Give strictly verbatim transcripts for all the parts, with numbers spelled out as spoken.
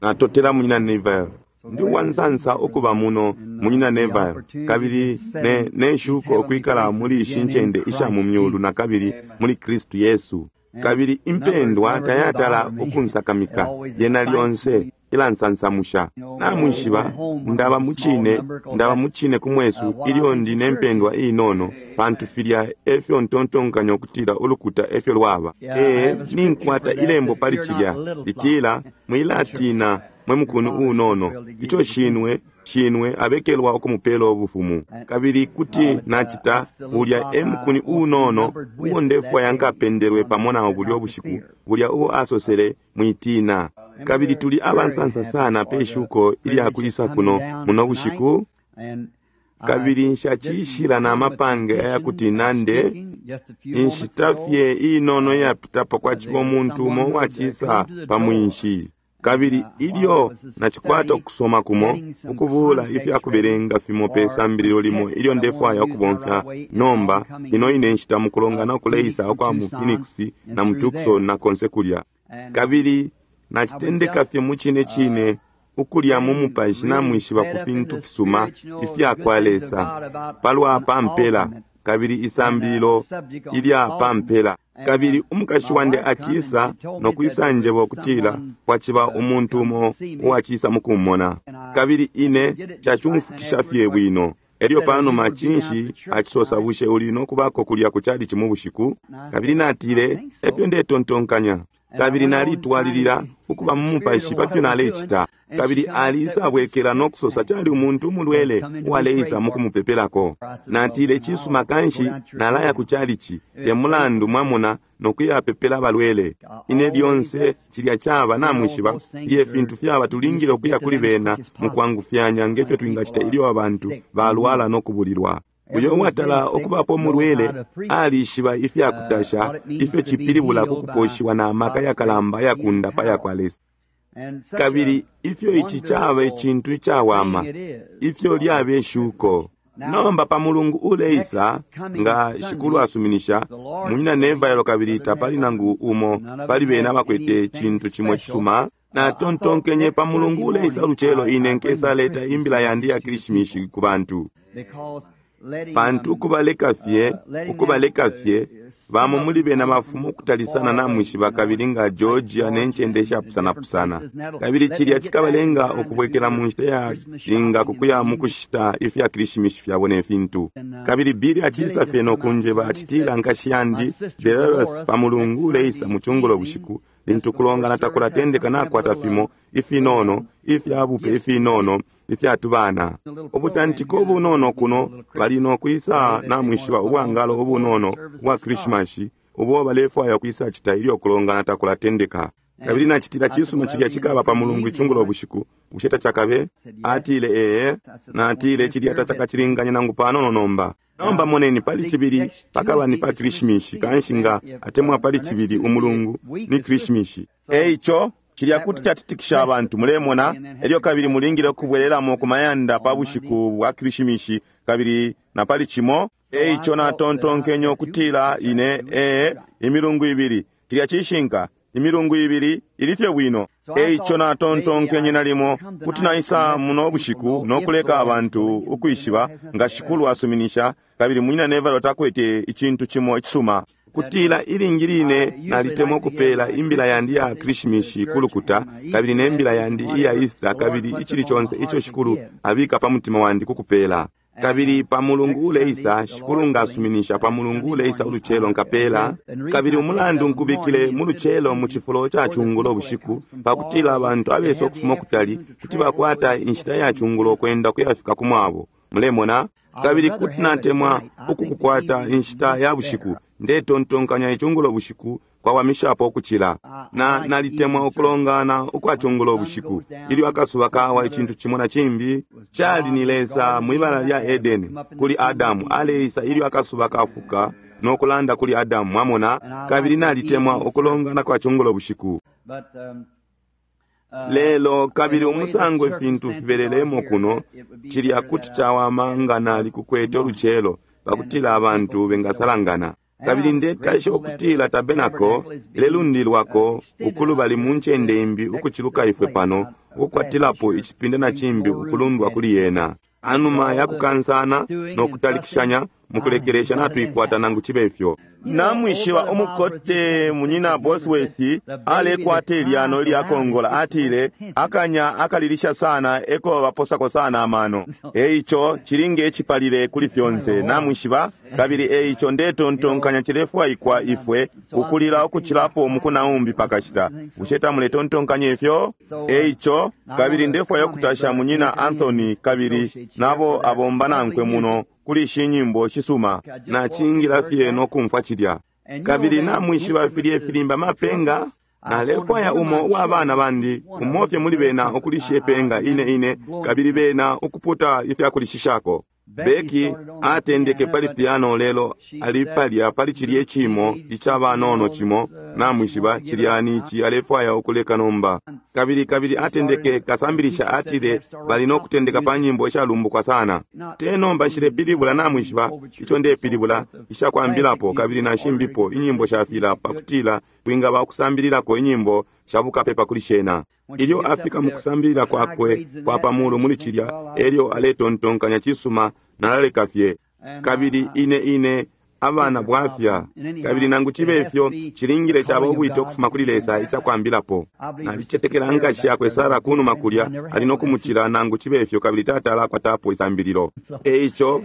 Natotela munyina Neville. Ndi uwansansa ukuba muno munyina Neville, kabili ne, ne shuko ukwikala muli ishi ncende isha mu myulu na kabili muli Kristu Yesu. Kabili impendwa tayatala ukunsakamika, yena lyonse ilansansamusha. Namwishiba ndaba mucine, ndaba mucine ku mwesu ilyo ndi ne mpendwa inono, pantu filya efyo ntontonkanya ukutila ulukuta efyo lwaba. Ee, ninkwata ilembo pali cilya litila, mwilatina mwe mukuni unono, ico shinwe shinwe abekelwa ukumupela ubufumu. Kabili kuti nacita ulya e mukuni unono uo ndefwaya nkapendelwe pamo nawo bulya ubushiku, bulya ubo asosele, mwitina. Kabili tuli abansansa sana pe shuko ilya kwisa kuno muno bushiku. Kabili nshacishila na mapange ayakuti nande inshita fye inono iyapitapo kwaciba umuntu umo uwacisa pa mwinshi. Kabili ilyo nacikwata ukusoma kumo, ukubula ifyakubelenga fimo pe sambililo limo ilyo ndefwaya ukubomfya nomba, ino ine nshita mukulongana ukuleisa ukwa mu Phoenix na mu Tucson na konse kulya. Kabili nacitendeka fye mu cine cine ukulya mu mupashi namwishiba ku fintu fisuma ifya kwa Lesa palwa pampela, kabili isambililo ilya pampela. Kabili umukashi wandi acisa nokwisa njeba ukutila kwaciba umuntu umo uwacisa mukumona. Kabili ine cacumfukisha fye bwino. Elyo panuma cinshi acisosa, bushe uli nokubako kulya ku chalichi mu bushiku? Kabili natile, efyo ndetontonkanya. Kabili nalitwalilila ukuba mu mupashi pafyo nalecita. Kabili alisabwekela nokusosa cali umuntu umulwele uwaleisa mukumupepelako. Natile, cisuma kanshi nalaya ku chalichi, te mulandu mwamona, nokuyapepela abalwele. Ine lyonse cilya caba namwishiba iye fintu fyaba tulingile ukuya kuli bena mukwangufyanya ngefyo twingacita ilyo abantu balwala nokubulilwa. Uyo uwatala ukubapo mulwele alishiba ifyakutasha ifyo cipilibula kukuposhiwa na maka yakalamba yakundapa yakwa Lesa. Kabili ifyo ici caba icintu icawama, ifyo lyaba ishuko. Nomba pa mulungu uleisa, nga shikulu asuminisha, munyina Neville kabili tapali nangu umo pali bena abakwete cintu cimo cisuma. Natontonkenye pa mulungu uleisa ulucelo ine nkesaleta imbila yandi ya Krishimishi ku bantu. Pantu ukubaleka fye, ukubaleka fye, bamo muli bena bafumu ukutalisana namwishiba kabili nga Georgia ne ncende ishapusanapusana. Kabili cilya cikabalenga ukubwekela mu nshita ya linga kukuya mukushita ifya Krishimishi fyabo ne fintu. Kabili Billy acisa fye nokunjeba acitila nkashi yandi Dolores pa mulungu uleisa mu cungulo bushiku, lintu kulongana takulatendeka nakwata fimo ifinono, ifyabupe ifinono, ifyatubana. Ubutantiko ubunono kuno bali nokwisa namwishiba ubwangalo ubunono ubwa Krishimasi ubo balefwaya ukwisa cita ilyo kulongana takulatendeka. Kabili nacitila cisuma cilya cikaba pa mulungu icungulo bushiku, bushe tacakabe? Atile ee, natile cilya tacakacilinganye nangu panono nomba. Nomba moneni pali cibili pakaba ni pa Krishimishi, kanshi nga atemwa pali cibili umulungu ni Krishimishi. Eico cilya kuti catitikisha abantu, mulemona. Elyo kabili mulingile ukubwelelamo ku mayanda pa bushiku bwa Krishimishi kabili na pali cimo. Eico natontonkenye ukutila ine ee imilungu ibili, cilya cishinka, imilungu ibili ili fye bwino. Eico natontonkenye nalimo kuti naisa muno bushiku nokuleka abantu ukwishiba nga shikulu asuminisha, kabili munyina Neville takwete icintu cimo icisuma. Kutila ilingi line nalitemwa ukupela imbila yandi ya Krishimishi kulukuta, kabili ne mbila yandi iya Easter, kabili icili conse ico shikulu abika pa mutima wandi kukupela. Kabili pa mulungu uleisa, shikulu ngasuminisha, pa mulungu uleisa ulucelo nkapela. Kabili umulandu nkubikile mu lucelo mu cifulo ca cungulo bushiku, pakutila abantu abesa ukufuma kutali kuti bakwata inshita ya cungulo kwenda kuyafika ku mwabo. Mulemona? Kabili kuti natemwa ukukukwata inshita ya bushiku, ndetontonkanya icungulo bushiku kwawamishapo ukucila. Na nalitemwa ukulongana ukwa cungulo bushiku ilyo akasuba kawa icintu cimo na cimbi. Cali ni Lesa mwibala lya Edeni kuli Adamu aleisa ilyo akasuba kafuka nokulanda kuli Adamu, mwamona. Kabili nalitemwa ukulongana kwa cungulo bushiku. Lelo kabili umusango ifintu fibelelemo kuno, cilya kuti cawama nga nali kukwete ulucelo pakutila abantu bengasalangana. Kabili ndetasha ukutila tabenako ilelundilwako ukulubali mu ncende imbi ukuciluka ifwe pano, ukukwatilapo icipinda na cimbi ukulundwa kuli yena. Anuma yakukansana no kutalikishanya mukulekelesha natuikwata nangu chibe ifyo. Namwishiba umukote munyina Bosworth alekwata ilyano ilyakongola, atile akanya akalilisha sana eko baposako sana amano. Eico chilinge echipalile kuli fyonse namwishiba, kabili eico ndetontonkanya chilefwaikwa ifwe ukulila ukuchilapo mukunaumbi pakashita. Bushe tamuletontonkanya ifyo? Eico kabili ndefwaya ukutasha munyina Anthony kabili nabo abomba nankwe muno kuli ishi nyimbo shisuma nachingila fye nokumfwa chilya. Kabili namwishiba filye filimba mapenga nalefwaya umo uwa bana bandi umofye muli bena ukulisha ipenga ine ine kabili bena ukuputa ifyakulishishako. Beki atendeke pali piano lelo ali palya pali chilye chimo icha banono chimo namwishiba chilyani ichi alefwaya ukuleka nomba. Kabili kabili atendeke kasambilisha atile bali nokutendeka pa nyimbo ishalumbukwa sana. Te nomba nshile namwishiba icho ndepilibula ishakwambilapo kabili nashimbipo inyimbo shafila pakutila kwingaba ukusambililako inyimbo shabukapepa kuli shena. Ilyo afika mukusambilila kwakwe kwa pamulu muli chilya elyo aletontonkanya chisuma nalaleka fye. Kabili ine ine abana bwafya kabili nangu chibe ifyo chilingile chaba ubwite ukufuma kuli Lesa ichakwambilapo. Nalichetekela nkashi yakwe Sara kunuma kulya ali nokumuchila nangu chibe ifyo kabili tatala akwatapo isambililo. Eico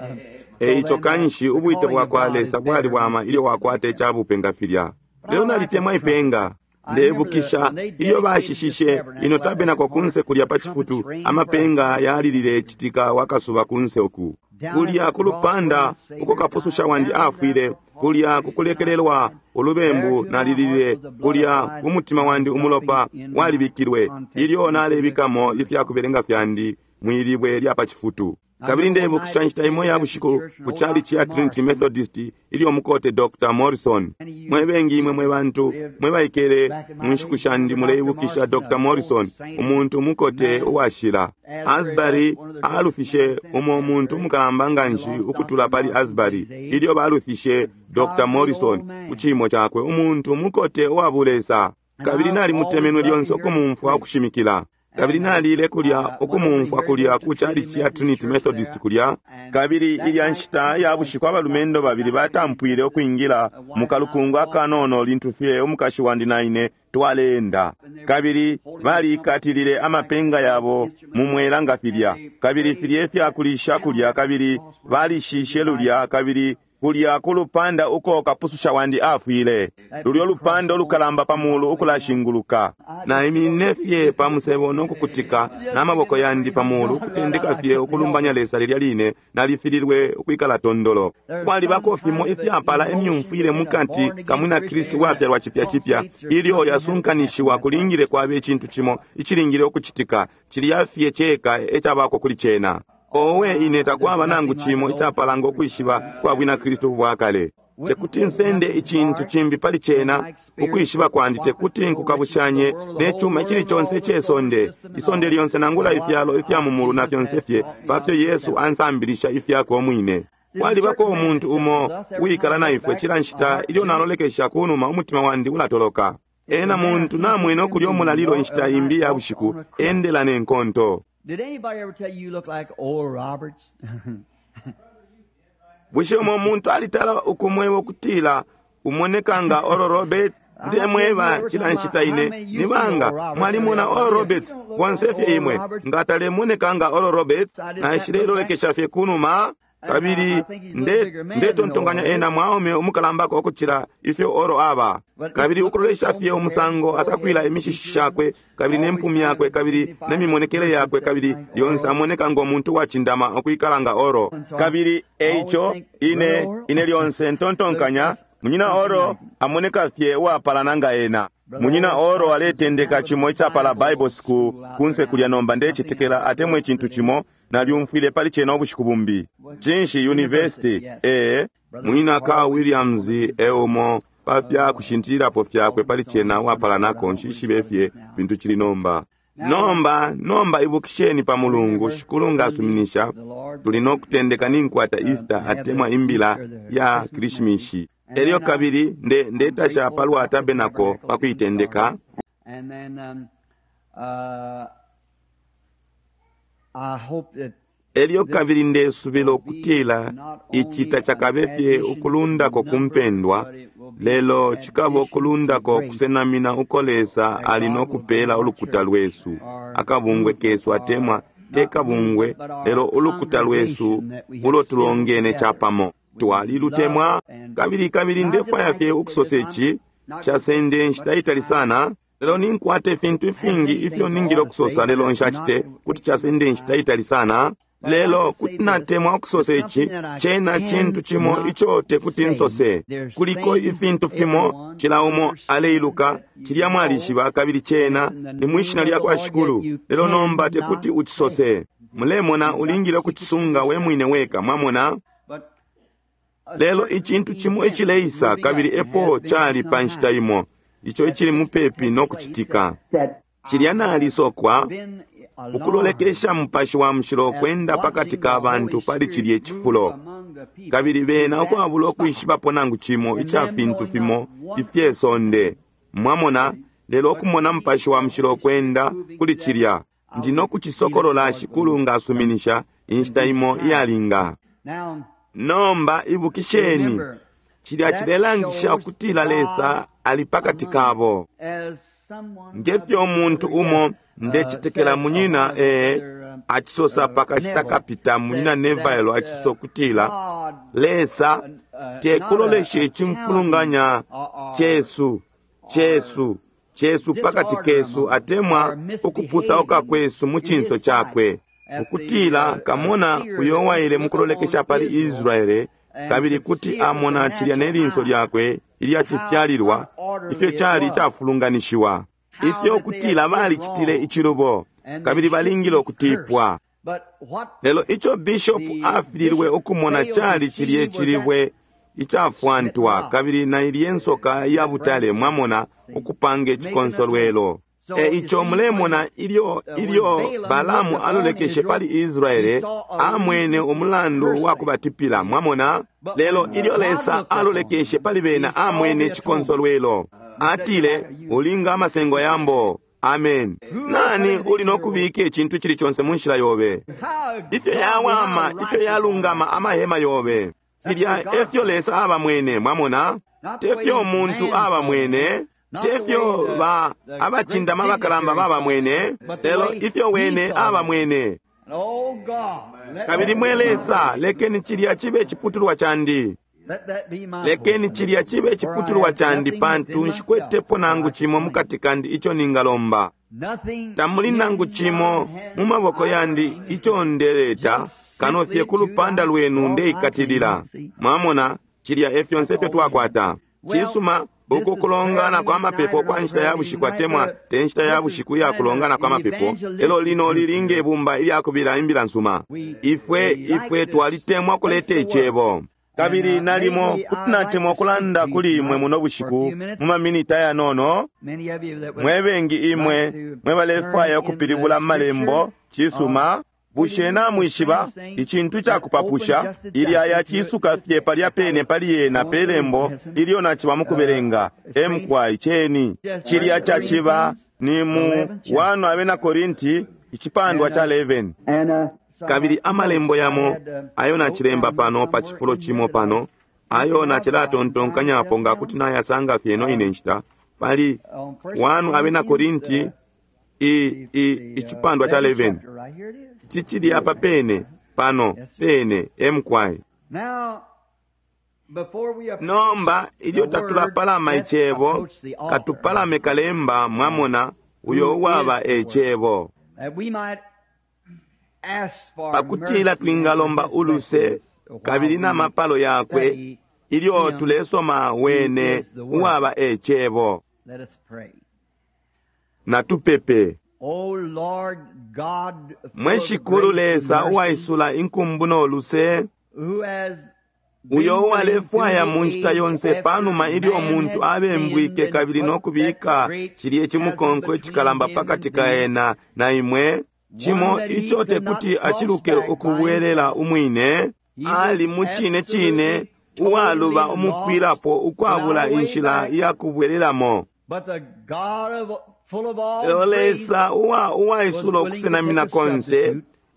eico kanshi ubwite bwakwa Lesa bwali bwama ilyo wakwata ichabupe nga filya. Lelo nalitemwa ipenga. Ndebukisha ilyo bashishishe ino tabenako kunse kulya pa chifutu amapenga yalilile chitika wakasuba kunse uku kulya kulupanda uko kapususha wandi afwile kulya kukulekelelwa ulubembu nalilile kulya kumutima wandi umulopa walibikilwe ilyo nalebikamo ifyakubelenga fyandi mwilibwe lya pa chifutu. Kabili ndebukisha nshita imo ya bushiku ku chalichi ya Trinity Methodist ilyo mukote Doctor Morrison. Mwe bengi imwe mwe bantu mwe baikele mu nshiku shandi muleibukisha Doctor Morrison, umuntu mukote uwashila. Asbury alufishe umo muntu mukalamba nganshi ukutula pali Asbury ilyo balufishe Doctor Morrison ku chimo chakwe, umuntu mukote uwabulesa. Kabili nalimutemenwe lyonse ukumumfwa ukushimikila. Kabili nalile kulya ukumumfwa kulya ku chalichi ya Trinity Methodist kulya. Kabili ilya nshita ya bushiku abalumendo babili batampwile ukwingila mu kalukungu akanono lintu fye umukashi wandi na ine twaleenda. Kabili balikatilile amapenga yabo mu mwela nga filya. Kabili filya ifyakulisha kulya kabili balishishe lulya kabili kulya kulupanda uko kapususha wandi afwile. Lulyo lupanda olukalamba pamulu ukulashinguluka. Naiminine fye pa musebo nokukutika n'amaboko yandi pamulu kutendeka fye ukulumbanya Lesa lilya line nalifililwe ukwikala tondolo. Kwalibako fimo ifyapala emyumfwile mukati kamwina Kristu wafyalwa chipya chipya ilyo yasunkanishiwa kulingile kwabe icintu cimo icilingile ukuchitika chilya fye cheka echabako kuli chena. Owe ine takwaba nangu chimo ichapalanga ukwishiba kwa bwina Kristu bwakale. Tekuti nsende icintu chimbi pali chena ukwishiba kwandi tekuti nkukabushanye nechuma ichili chonse chesonde isonde lyonse nangula ifyalo ifya mumulu na fyonse fye pafyo Yesu ansambilisha ifyakwe omwine. Kwalibako umuntu umo uwikala na ifwe chila nshita ilyo nalolekesha kunuma umutima wandi ulatoloka. Ena muntu namwene okulya omulalilo inshita imbi ya bushiku endela nenkonto. Did anybody ever tell you you look like Oral Roberts? Bushe umo muntu alitala ukumweba ukutila umoneka nga Oral Roberts? Ndemweba chila nshita ine nibanga mwalimona Oral Roberts bonse fye imwe ngatalemoneka nga Oral Roberts naishilelolekesha fye kunuma. Kabili ndetontonkanya ena mwaume umukalambako okuchila ifyo oro aba. Kabili ukulolesha fye umusango asakwila imishishi shakwe kabili nempumi yakwe kabili nemimonekele yakwe kabili lyonse amoneka ngo muntu wachindama okwikala nga oro. Kabili eico ine ine lyonse ntontonkanya munyina oro amoneka fye uwapalana nga ena. Munyina oro aletendeka chimo ichapala Bible School kunse kulya nomba ndechitekela atemwe chintu chimo nalyumfwile pali chena ubushiku bumbi. Chinshi University ee Munyina Carl Williams eumo pafya kushintililapo fyakwe pali chena wapalanako nshishibe fye fintu chili nomba. Nomba nomba ibukisheni pa Mulungu shikulu ngasuminisha tuli nokutendeka ninkwata Easter atemwa imbila ya Krishimishi. Elyo kabili nde ndetasha palwa tabernacle pa kuitendeka. And then um, uh, I hope that Elyo kabili ndesubila ukutila ici tacakabe fye ukulundako ku mpendwa, lelo cikaba ukulundako kusenamina uko Lesa ali no kupela ulukuta lwesu, akabungwe kesu atemwa te kabungwe, lelo ulukuta lwesu ulo tulongene capamo. Twalilutemwa kabili kabili ndefwaya fye ukusosa ici casende nshita itali sana, lelo ninkwata ifintu ifingi ifyo ningile ukusosa, lelo nshacite kuti casende nshita itali sana. Lelo kuti natemwa ukusosa ici, cena cintu cimo ico tekuti nsose. Kuliko ifintu fimo cila umo aleiluka, cilya mwalishiba, kabili cena ni mwishina lya kwa Shikulu, lelo nomba tekuti ucisose. Mulemona, ulingile ukucisunga we mwine weka, mwamona. Lelo icintu cimo icileisa, kabili epo cali pa nshita imo, ico icili mupepi no kucitika. Cilya nalisokwa ukulolekesha Mupashi wa Mushilo kwenda pakati ka bantu pali cilye cifulo, kabili bena ukwabula ukwishibapo nangu cimo ica fintu fimo ifye sonde, mwamona. Lelo ukumona Mupashi wa Mushilo kwenda kuli cilya, ndi no kucisokolola Shikulu nga asuminisha inshita imo iyalinga. Nomba ibukisheni, cilya cilelangisha ukutila Lesa ali pakati kabo. Ngefyo umuntu umo ndecitekela munyina ee acisosa pakashita kapita, munyina Neville acisosa ukutila Lesa tekulolesha icimfulunganya cesu cesu cesu pakati kesu atemwa ukupusauka kwesu mu cinso cakwe, ukutila kamona uyo waile mukulolekesha pali Israele, kabili kuti amona cilya ne linso lyakwe ilya cifyalilwa ifyo cali icafulunganishiwa, ifyo kutila balicitile icilubo kabili balingile ukutipwa. Lelo ico bishop afililwe ukumona cali cilye cilibwe icafwantwa kabili na ilye nsoka ya butale, mwamona, ukupanga icikonsolwelo. E ico mulemona ilyo ilyo Balamu alolekeshe pali Israele, amwene umulandu wa kubatipila, mwamona. Lelo ilyo Lesa alolekeshe pali bena, amwene icikonsolwelo. Atile, ulinga amasengo yambo. Amen. Nani uli no kubika icintu cili conse mu nshila yobe? Ifyo yawama, ifyo yalungama amahema yobe. Filya efyo Lesa aba mwene, mwamona. Tefyo umuntu aba mwene, tefyo ba abacindama abakalamba baba mwene, lelo ifyo wene aba mwene. Kabili mwe Lesa, lekeni cilya cibe ciputulwa candi. Lekeni cilya cibe ciputulwa candi, pantu nshikwetepo nangu cimo mukati kandi ico ningalomba. Tamuli nangu cimo mu maboko yandi ico ndeleta, kano fye ku lupanda lwenu ndeikatilila. Mwamona, cilya e fyonse ifyo twakwata. Cisuma, uku kulongana kwa mapepo kwa nshita ya bushiku atemwa te nshita ya bushiku ya kulongana kwa mapepo, elo lino lilinge ibumba ilya kubila imbila nsuma. Ifwe ifwe twalitemwa kuleta icebo. Kabili nalimo kuti natemwa ukulanda kuli imwe muno bushiku mu maminita yanono. Mwe bengi imwe mwe balefwaya ukupilibula malembo, cisuma. Bushe namwishiba icintu cakupapusha ilya yacisuka fye palya pene pali yena pe lembo ilyo naciba mukubelenga emkwai ceni cilya caciba ni mu wano abena Korinti icipandwa ca eleven. Kabili amalembo yamo ayo nacilemba pano pa cifulo cimo pano ayo nacilatontonkanyapo nga kuti nayasanga fye ino ine nshita pali wano abena Korinti i, i, icipandwa ca eleven. Cicili apa pene pano pene emkwai. Nomba ilyo tatulapalama icebo, katupalame kalemba, mwamona, uyo uwaba ecebo, pakutila twingalomba uluse kabili na mapalo yakwe ilyo tulesoma wene uwaba ecebo. Natupepe. Mwe Shikulu Lesa uwaisula inkumbu no luse, uyo uwalefwaya mu nshita yonse panuma ilyo umuntu abembwike kabili no kubika cilye cimukonko icikalamba pakati ka ena na imwe, cimo ico tekuti aciluke ukubwelela umwine, ali mu cine cine uwaluba umupwilapo ukwabula inshila yakubwelelamo. Lelo Lesa uwa uwaisula ukusenamina konse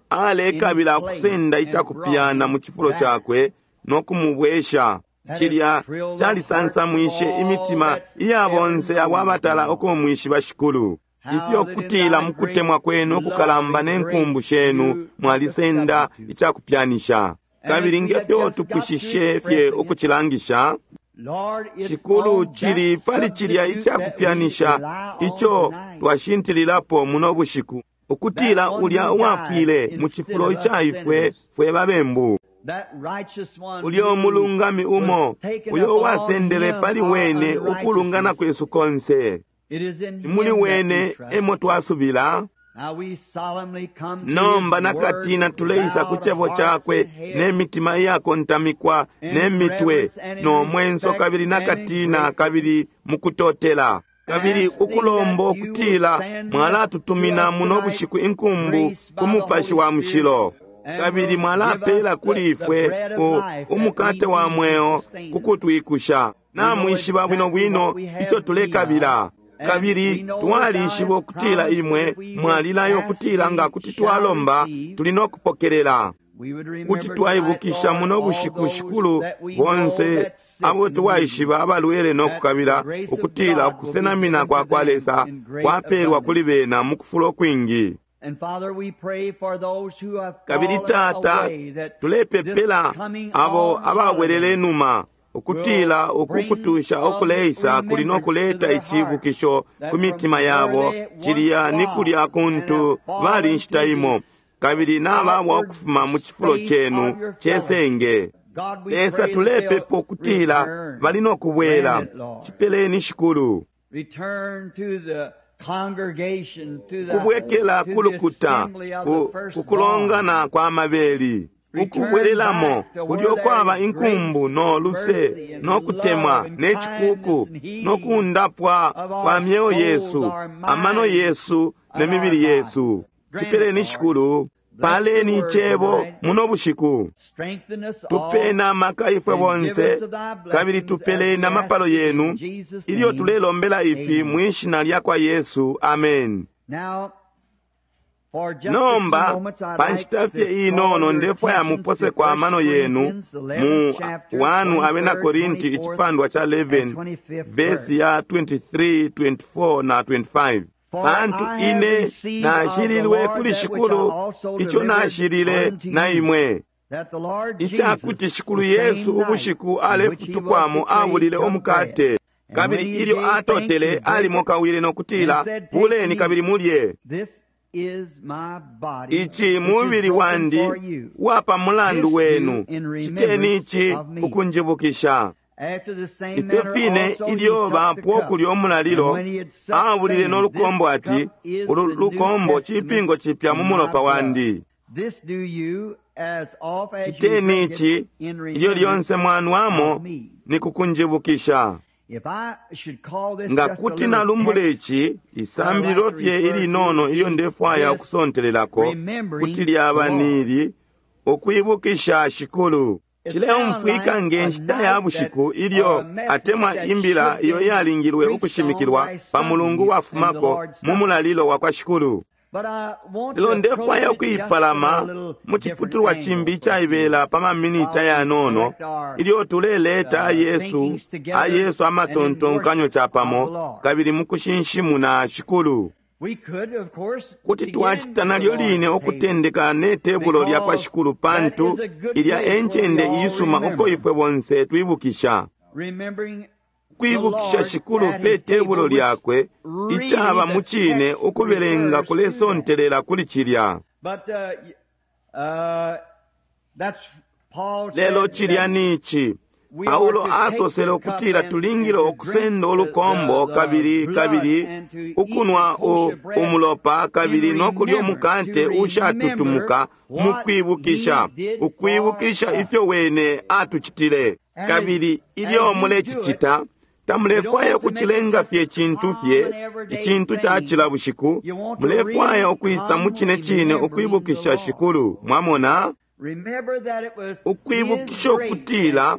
alekabila ukusenda icakupyana mu cifulo cakwe no kumubwesha. Cilya calisansamwishe imitima iya bonse abo abatala ukumwishiba Shikulu. Ifyo kutila mukutemwa kwenu ukukalamba ne nkumbu shenu mwalisenda icakupyanisha. Kabili ngefyo tupwishishe fye ukucilangisha, Shikulu, cili pali cilya icakupyanisha ico twashintililapo muno bushiku, ukutila ulya uwafwile mu cifulo ica ifwe fwe babembu, ulya umulungami umo uyo uwasendele pali wene ukulungana kwesu konse, muli wene emo twasubila. Nomba nakatina tuleisa ku cebo cakwe ne mitima iyakontamikwa ne mitwe no mwenso kabili nakatina kabili mukutotela kabili ukulomba ukutila mwalatutumina muno bushiku inkumbu ku Mupashi wa Mushilo, kabili mwalapela kuli ifwe umukate wa mweo kukutwikusha. Namwishiba bwino bwino ico tulekabila, kabili twalishiba ukutila imwe mwalilayo ukutila nga kuti twalomba tuli no kupokelela. Kuti twaibukisha muno bushiku, Shikulu, bonse abo twaishiba abalwele no kukabila ukutila ukusenamina kwa kwa Lesa kwapelwa kuli bena mu kufulo kwingi. Kabili Tata, tulepepela abo ababwelele numa ukutila ukukutusha okuleisa kuli no kuleta icibukisho ku mitima yabo, cilya ni kulya kuntu bali nshita imo, kabili nababwa ukufuma mu cifulo cenu cesenge. Lesa, tulepepa ukutila bali no kubwela. Cipeleni, Shikulu. Kubwekela kulukuta ku kulongana kwa mabeli, ukubwelelamo kulyo kwaba inkumbu no luse no kutemwa ne cikuku no kundapwa kwa myeo yesu, amano yesu ne mibili yesu. Cipeleni, Shikulu. Paleni icebo muno bushiku. Tupeni amaka ifwe bonse, kabili tupeleni amapalo yenu ilyo tulelombela ifi mwishina lya kwa Yesu. Amen. Nomba panshita fye inono ndefwaya mupose kwa mano yenu mu wanu Abena Korinti icipandwa cha eleven vesi ya twenty-three, twenty-four na twenty-five. Pantu ine nashililwe kuli Shikulu ico nashilile na imwe, icakuti Shikulu Yesu ubushiku alefutukwamo abulile umukate, kabili ilyo atotele alimokawile no kutila, buleni kabili mulye, ici mubili wandi wapa mulandu wenu, citeni ici ukunjibukisha. Ifyo fine ilyo bapwa okulya omulalilo, abulile n'olukombo ati, ulu lukombo cipingo cipya mu mulopa wandi. Citeni ici ilyo lyonse mwanwamo ni kukunjibukisha. Nga kuti nalumbula ici isambililo fye ilinono ilyo ndefwaya ukusontelelako, kuti lyaba nili ukwibukisha Shikulu. Cileumfwika nge nshita ya bushiku ilyo atemwa imbila iyo yalingilwe ukushimikilwa pa mulungu wafumako mu mulalilo wa kwa Shikulu. Lelo ndefwaya ukuipalama mu ciputulwa cimbi icaibela pa maminita yanono ilyo tuleleta ayesu ayesu amatontonkanyo capamo kabili mu kushinshimuna Shikulu. Kuti twacita nalyo line ukutendeka ne tebulo lya kwa Shikulu, pantu ilya encende iisuma uko ifwe bonse twibukisha. Kwibukisha Shikulu pe tebulo lyakwe, icaba mu cine ukubelenga kulesontelela kuli cilya. Lelo cilya ni ici. Paulo asosele ukutila tulingile ukusenda ulukombo kabili kabili ukunwa umulopa kabili no kulya umukate ushatutumuka mu kwibukisha, ukwibukisha ifyo wene atucitile. Kabili ilyo mulecicita, tamulefwaya ukucilenga fye cintu fye icintu ca cila bushiku, mulefwaya ukwisa mu cine cine ukwibukisha Shikulu. Mwamona? Ukwibukisha ukutila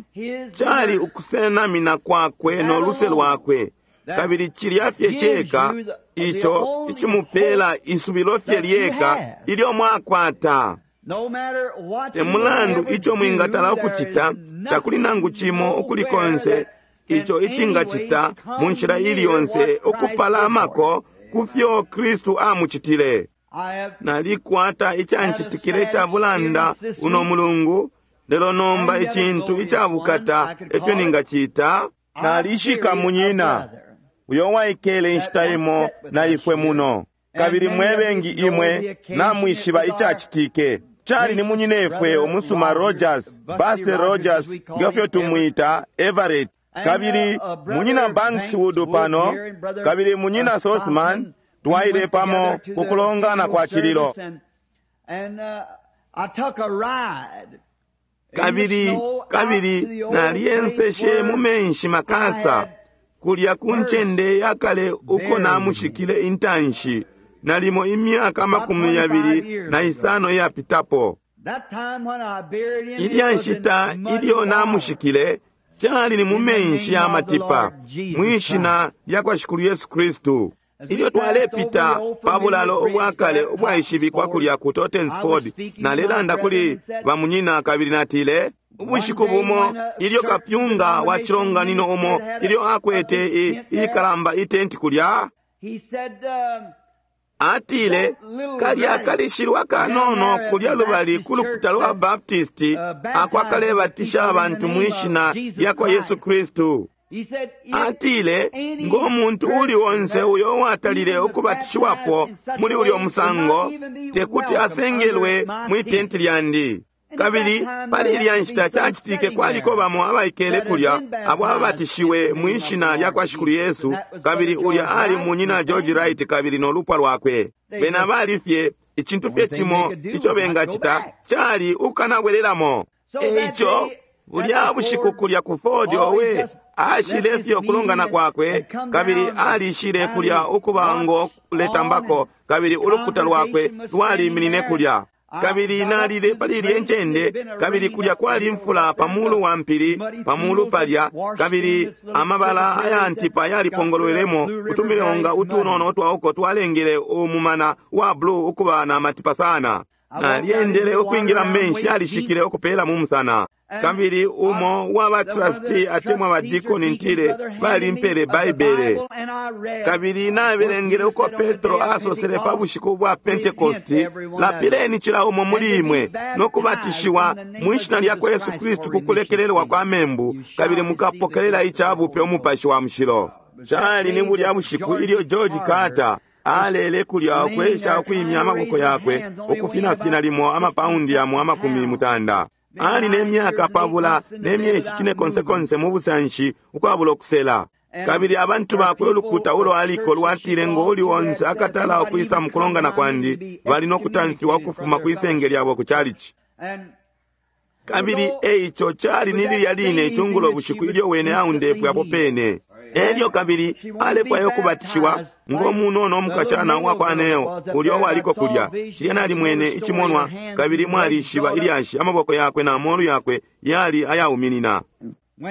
cali ukusenamina kwakwe no luse lwakwe, kabili cilya fye ceka ico icimupela isubilo fye lyeka ilyo mwakwata. Te mulandu ico mwingatala ukucita, takuli nangu cimo ukuli konse ico icingacita mu nshila ili yonse ukupalamako ku fyo Kristu amucitile. Nalikwata icancitikile ica bulanda uno mulungu, lelo nomba icintu icabukata efyo ningacita. Nalishika munyina uyo waikele inshita imo na ifwe muno, kabili mwebengi imwe namwishiba icacitike. Cali ni munyinefwe umusuma Rogers, Buster Rogers ngefyo tumwita Everett, kabili munyina Bankswood pano, kabili munyina Sothman, twaile pamo kukulongana kwa cililo. Kabili kabili naliyenseshe mu menshi makasa kulya ku ncende yakale uko namushikile intanshi nalimo imyaka amakumi yabili na isano iyapitapo. Ilya nshita ilyo namushikile cali ni mu menshi ya matipa mwishina lya kwa Shikulu Yesu Kristu. Ilyo twalepita pa bulalo ubwakale ubwaishibikwa kulya ku Tottensford, nalelanda kuli bamunyina kabili natile, ubushiku bumo ilyo kapyunga wa cilonganino umo ilyo akwete ikalamba itenti kulya, atile kalya kalishilwa kanono kulya lubali ku lukuta lwa Baptisti akwakalebatisha abantu mwishina lya kwa Yesu Kristu. Atile ngo muntu uli onse uyo watalile ukubatishiwapo muli ulyo musango tekuti asengelwe mwi tenti lyandi. Kabili pali ilya nshita cacitike kwaliko bamo abaikele kulya abo ababatishiwe mwishina lya kwa Shikulu Yesu, kabili ulya ali munyina George Wright kabili no lupwa lwakwe. Bena bali fye icintu fye cimo ico bengacita cali ukanabwelelamo. Eico bulya bushiku kulya ku Ford owe ashile fye ukulongana kwakwe, kabili alishile kulya ukuba ngo kuletambako, kabili ulukuta lwakwe lwaliminine kulya. Kabili nalile pali ilye ncende, kabili kulya kwali mfula pa mulu wa mpili pa mulu palya, kabili amabala ayantipa yalipongolwelemo utumilonga utunono utwauko twalengele umumana wa blue ukuba na matipa sana. Nalyendele ukwingila menshi alishikile ukupela mu musana. Kabili umo wa batrustee atemwa badikoni ntile balimpele Baibele, kabili nabelengele uko Petro asosele pa bushiku bwa Pentekosti, lapileni cila umo muli imwe no kubatishiwa mwishina lya kwa Yesu Kristu ku kulekelelwa kwa membu, kabili mukapokelela icabupe umupashi wa mushilo. Cali ni bulya bushiku ilyo George Carter alele kulya ukwesha ukwimya amaboko yakwe ukufinafina limo amapaundi yamo amakumi mutanda. Ali ne myaka pabula ne myeshi cine konsekonse mu busanshi ukwabula okusela. Kabili abantu bakwe ulukuta ulo aliko lwatile ngo uli onse akatala ukwisa mukulongana kwandi bali no kutamfiwa ukufuma kwisenge lyabo ku chalichi. Kabili eico cali ni lilya line icungulo bushiku ilyo wene aundepwe apo pene. Elyo kabili alefwayo kubatishiwa ngo munono omukashana uwakwa Neo ulyo waliko kulya. Cilya nalimwene icimonwa kabili mwalishiba ilyashi amaboko yakwe na molu yakwe yali ayauminina.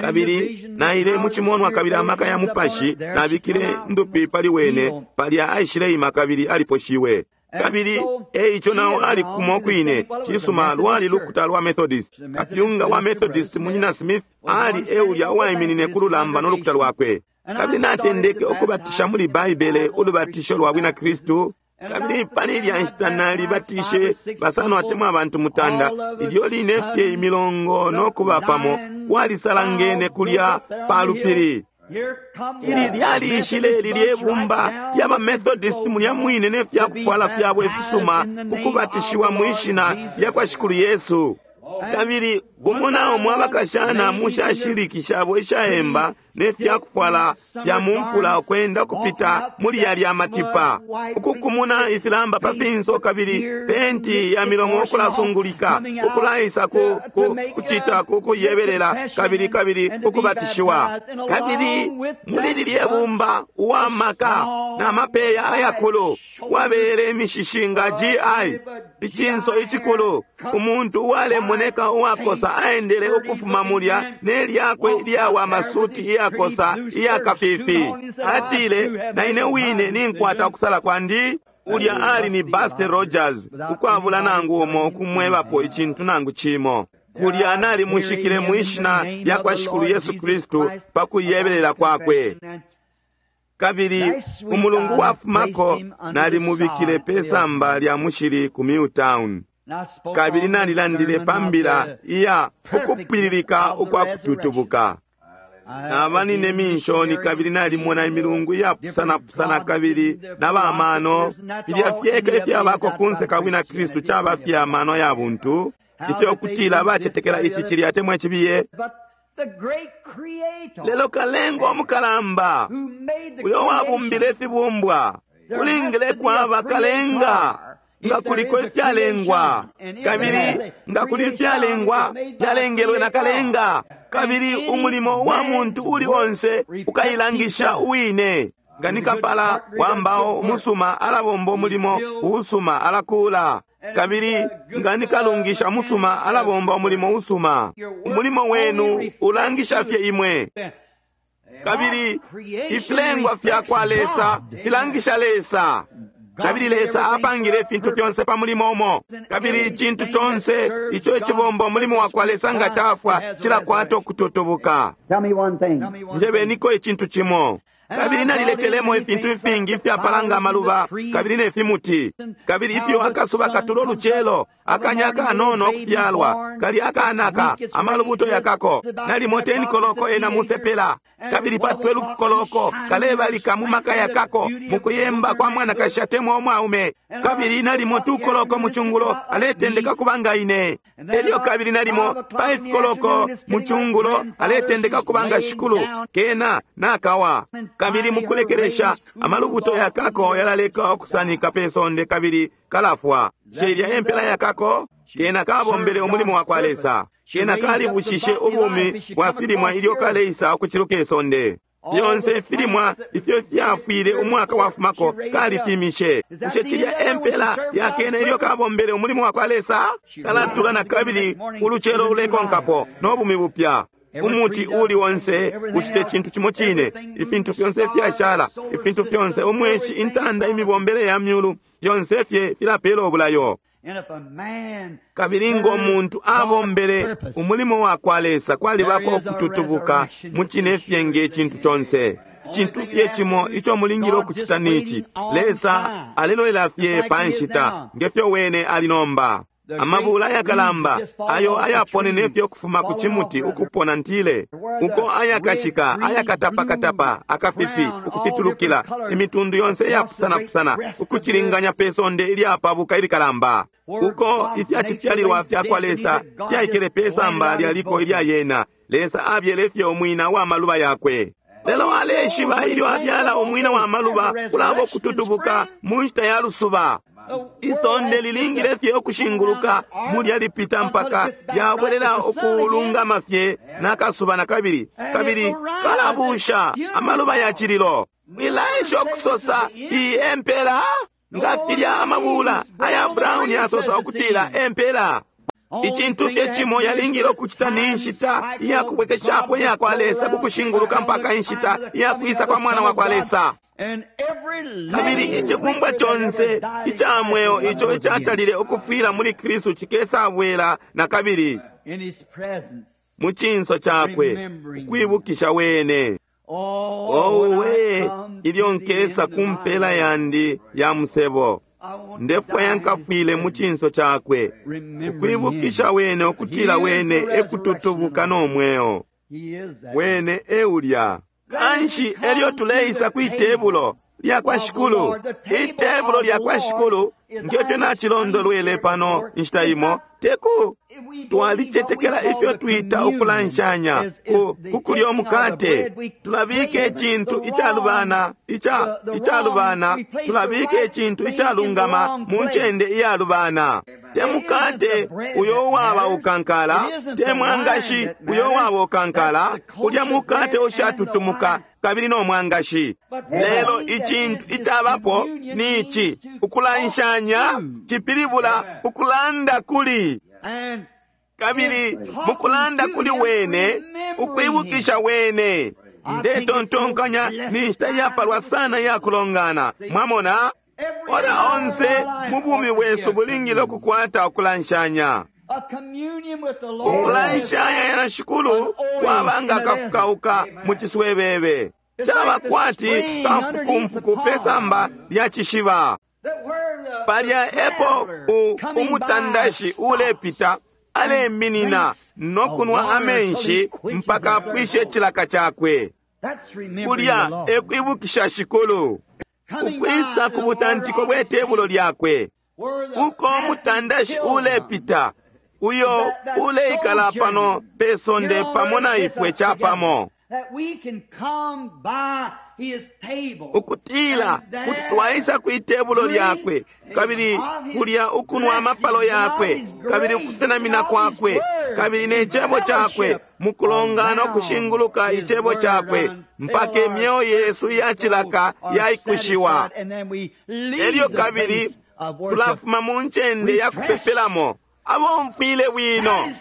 Kabili naile mucimonwa kabili amaka ya mupashi nabikile ndupi pali wene palya aishileima kabili aliposhiwe. Kabili eico nao ali kumo kwine cisuma lwali lukuta lwa Methodist. Kapyunga wa Methodist munyina Smith ali eulya uwaiminine ku lulamba no lukuta lwakwe. Kabili natendeke ukubatisha muli Baibele ulubatisho lwa bwina Kristu. Kabili pali ilya nshita nalibatishe basano atemwa abantu mutanda ilyo line fye imilongo no kuba pamo walisalangene kulya pa lupili. Ili lyalishile lilye bumba lyaba Methodist mulya mwine ne fyakufwala fyabo ifisuma kukubatishiwa mwishina lya kwa Shikulu Yesu. Kabili umo na umo abakashana mushashiriki shabo ishaemba ne fyakufwala fya mumfula ukwenda kupita muli yalya matipa, ukukumuna ifilamba pa finso, kabili penti ya milomo ukulasungulika, ukulaisa ku, ku, kucita ku kuyebelela, kabili kabili ukubatishiwa. Kabili muli lilye bumba uwa maka na mapeya ayakulu wabele imishishi nga G I, icinso icikulu, umuntu uwalemoneka uwakosa aendele ukufuma mulya ne lyakwe lyawa masuti iyakosa iyakafifi. Atile, na ine wine ninkwata ukusala kwandi. Ulya ali ni Buster Rogers, ukwabula nangu umo kumwebapo icintu nangu cimo. Kulya nalimushikile mwishina lya kwa Shikulu Yesu Kristu pa kuyebelela kwakwe. Kabili umulungu wafumako nalimubikile pe samba lya mushili ku Milltown. Kabili nalilandile pa mbila iya ukupwililika ukwa kututubuka. Naba nine minshoni kabili nalimona imilungu iyapusanapusana kabili na bamano. Filya fyeka ifyabako kunse ka bwina Kristu caba fya mano ya buntu, ifyo kutila bacetekela ici cilya atemwa icibiye. Lelo kalenga omukalamba uyo wabumbile ifibumbwa kulingile kwaba kalenga nga kuliko ifyalengwa, kabili nga kuli ifyalengwa fyalengelwe na kalenga, kabili umulimo wa muntu uli onse ukailangisha uwine. Nga ni kapala wa mbao umusuma alabomba umulimo uusuma, alakula, kabili nga ni kalungisha musuma alabomba umulimo usuma. Umulimo wenu ulangisha fye imwe. Kabili ifilengwa fya kwa Lesa filangisha Lesa. Kabili Lesa apangile ifintu fyonse pa mulimo umo. Kabili icintu conse ico icibomba umulimo wa kwa Lesa nga cafwa cilakwata ukututubuka. Njebeniko icintu cimo. Kabili naliletelemo ifintu ifingi ifyapalanga amaluba kabili ne fimuti, kabili ifyo akasuba katulo lucelo, akanya akanono okufyalwa kali akanaka amalubuto yakako nalimo ten koloko ena musepela, kabili pa twelve koloko kalebalika mu maka yakako mu kuyemba kwa mwanakashi atemwa umwaume, kabili nalimo two koloko mu cungulo aletendeka kubanga ine, elyo kabili nalimo five koloko mu cungulo aletendeka kubanga shikulu kena nakawa. Kabili mukulekelesha amalubuto yakako yalaleka okusanika pe sonde kabili kalafwa. Sheilya empela yakako kena kabombele umulimo wa kwa Lesa, kena kalibushishe ubumi bwa filimwa ilyo kaleisa okuciluka isonde. Fyonse filimwa ifyo fyafwile umwaka wafumako kalifimishe. Bushe cilya empela yakena ilyo kabombele umulimo wa kwa Lesa? Kalatula na kabili ulucelo ulekonkapo no bumi bupya. Umuti uli onse ucite cintu cimo cine, ifintu fyonse fyashala, ifintu fyonse umweshi, intanda, imibombele ya myulu, fyonse fye filapela obulayo. Kabili ngo muntu abombele umulimo wa kwa Lesa, kwalibako okututubuka mu cine fye nge cintu conse. Cintu fye cimo ico mulingile okucita nici, Lesa alelolela fye pa nshita ngefyo wene ali nomba. Amabula ayakalamba ayo ayaponene fye okufuma ku cimuti ukupona ntile, uko ayakashika ayakatapakatapa akafifi ukufitulukila imitundu yonse iyapusanapusana ukucilinganya pe sonde ilyapabuka ilikalamba, uko ifyacifyalilwa fya kwa Lesa fyaikele pe samba lyaliko ilya yena. Lesa abyele fye umwina wa maluba yakwe. Lelo aleshiba ilyo abyala umwina wa maluba kulaba okututubuka mu nshita ya lusuba. Isonde lilingile fye okushinguluka mulya lipita mpaka lyabwelela okulungama fye nakasuba na kabili, kabili kalabusha amaluba ya cililo. Mwilaesha okusosa iyi empela nga filya amabula aya brown yasosa okutila empela. Icintu fye cimo yalingile okucita ni nshita iyakubwekeshapo iya kwa Lesa kukushinguluka mpaka inshita iyakwisa kwa mwana wa kwa Lesa. Kabili icibumbwa conse ica mweo ico icatalile ukufwila muli Kristu cikesabwela na kabili mu cinso cakwe ukwibukisha wene. Owe, ilyo nkesa ku mpela yandi ya musebo, ndefwaya nkafwile mu cinso cakwe ukwibukisha wene ukutila wene ekututubuka no mweo. Wene eulya. Kanshi elyo tuleisa kwi tebulo, lyakwa Shikulu. Itebulo lyakwa Shikulu, ngefyo nacilondolwele pano inshita imo, teku twalicetekela ifyo twita ukulanshanya ku kukulya umukate. Tulabika icintu icalubana ica icalubana tulabika icintu icalungama mu ncende iyalubana. Te mukate uyo uwaba ukankala, te mwangashi uyo uwaba ukankala, ulya mukate ushatutumuka kabili no mwangashi. Lelo icintu icabapo ni ici, ukulanshanya cipilibula ukulanda kuli, kabili mukulanda kuli wene, ukwibukisha wene. Ndetontonkanya ni nshita iyapalwa sana iyakulongana. Mwamona, ora onse mu bumi bwesu bulingile ukukwata ukulanshanya. Ukulanshanya na Shikulu kwaba nga kafukauka mu ciswebebe, caba kwati kamfukumfuku pe samba lya cishiba. Palya epo umutandashi ulepita aleminina no kunwa amenshi mpaka apwishe icilaka cakwe. Kulya ekwibukisha Shikulu, ukwisa ku butantiko bwe tebulo lyakwe, uko umutandashi ulepita uyo uleikala pano pe sonde pamo na ifwe capamo, ukutila kuti twaisa kwi tebulo lyakwe kabili kulya ukunwa amapalo yakwe kabili ukusenamina kwakwe kabili ne cebo cakwe mukulongana ukushinguluka icebo cakwe mpaka imyeo yesu iyacilaka yaikushiwa. Elyo kabili tulafuma mu ncende ya kupepelamo abomfwile bwino,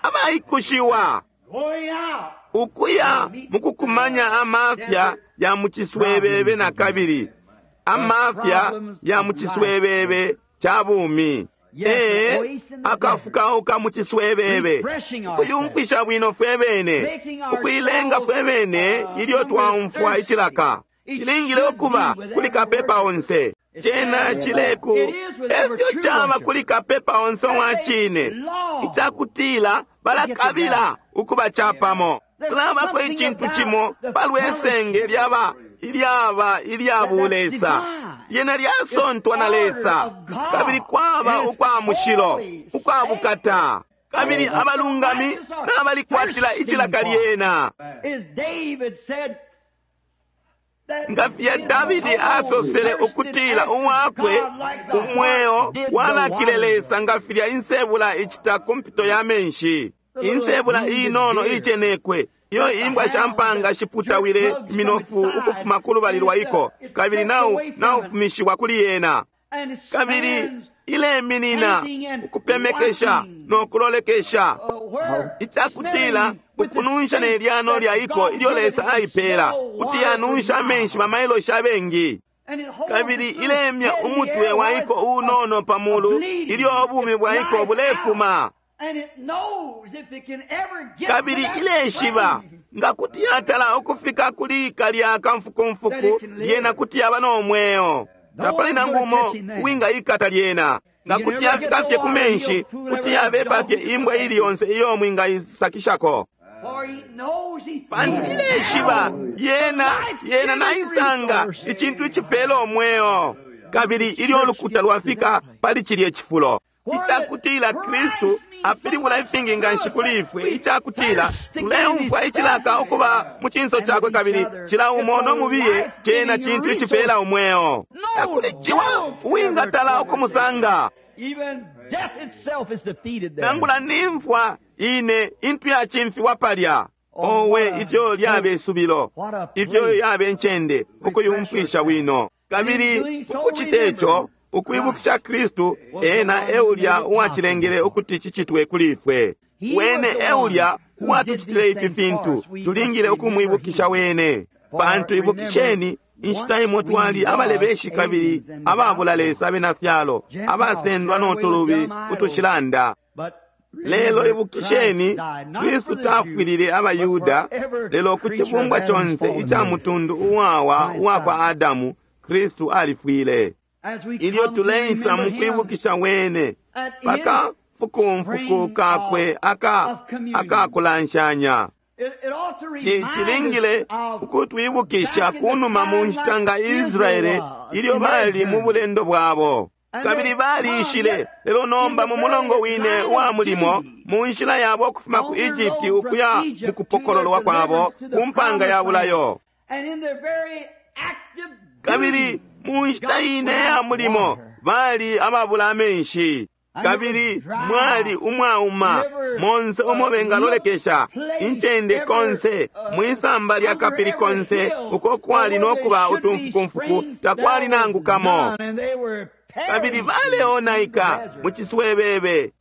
abaikushiwa, ukuya mukukumanya amafya ya muciswebebe na kabili amafya ya muciswebebe ca bumi. Ee, akafukauka muciswebebe, ukuyumfwisha bwino fwe bene, ukuilenga fwe bene ilyo twaumfwa icilaka. Cilingile ukuba kuli kapepa onse. Cena cileku efyo caba kuli kapepa onse wa cine, icakutila balakabila ukuba capamo. Kulabako icintu cimo palwesenge lyaba ilyaba ilya bulesa, lyena lyasontwa na Lesa, kabili kwaba ukwa mushilo, ukwa bukata, kabili abalungami nabalikwatila icilaka lyena. Nga filya Davidi asosele ukutila uwakwe umweo walakile Lesa nga filya insebula icita ku mpito ya menshi. Insebula inono icenekwe iyo imbwa sha mpanga shiputawile iminofu ukufuma ku lubali lwa iko, kabili nau naufumishiwa kuli yena, kabili ileminina ukupemekesha no kulolekesha, icakutila ukununsha ne lyano lya iko ilyo Lesa aipeela kuti yanunsha amenshi bamailoshi abengi, kabili ilemya umutwe wa iko unono pa mulu ilyo ubumi bwa iko bulefuma, kabili ileshiba nga kuti yatala ukufika kuli kalya kamfukumfuku, lyena kuti yaba no mweo. Tapali nangu umo uwingaikata lyena. Nga kuti yafika fye ku menshi, kuti yabepa fye imbwa ili yonse iyo mwingaisakishako, pantu ileshiba yena yena naisanga icintu icipela umweo. Kabili ilyo ulukuta lwafika pali cilye cifulo icakutila Kristu apilibula ifingi nganshi kuli ifwe, icakutila tuleumfwa icilaka ukuba mu cinso cakwe, kabili cila umo no mubiye cena cintu icipela umweo. Takuli ciwa uwingatala ukumusanga, nangula nimfwa ine intu yacimfiwa palya. Owe, ifyo lyabe subilo, ifyo yabe ncende ukuyumfwisha bwino. Kabili ukucite co, ukwibukisha Kristu, ena eulya uwacilengele ukuti cicitwe kuli ifwe. Wene eulya uwatucitile ifi fintu, tulingile ukumwibukisha wene. Pantu ibukisheni, inshita imo twali abalebeshi kabili ababula Lesa abena fyalo, abasendwa no tulubi utushilanda. Lelo ibukisheni, Kristu tafwilile abaYuda, lelo ku cibumbwa conse ica mutundu uwawa uwa kwa Adamu, Kristu alifwile. Ilyo tuleisa mu kwibukisha wene paka fukumfuku kakwe aka akakulanshanya, Cilingile ukutwibukisha kunuma mu nshita nga Israele ilyo bali mu bulendo bwabo. Kabili baliishile, lelo nomba mu mulongo wine uwa mulimo, mu nshila yabo ukufuma ku Egypt ukuya mu kupokololwa kwabo ku mpanga ya bulayo. Kabili mu nshita ine ya mulimo bali ababula amenshi. Kabili mwali umwauma monse umo bengalolekesha incende konse mwisamba lya kapili konse uko kwali nokuba utumfukumfuku takwali nangu kamo. Kabili baleonaika mu ciswebebe.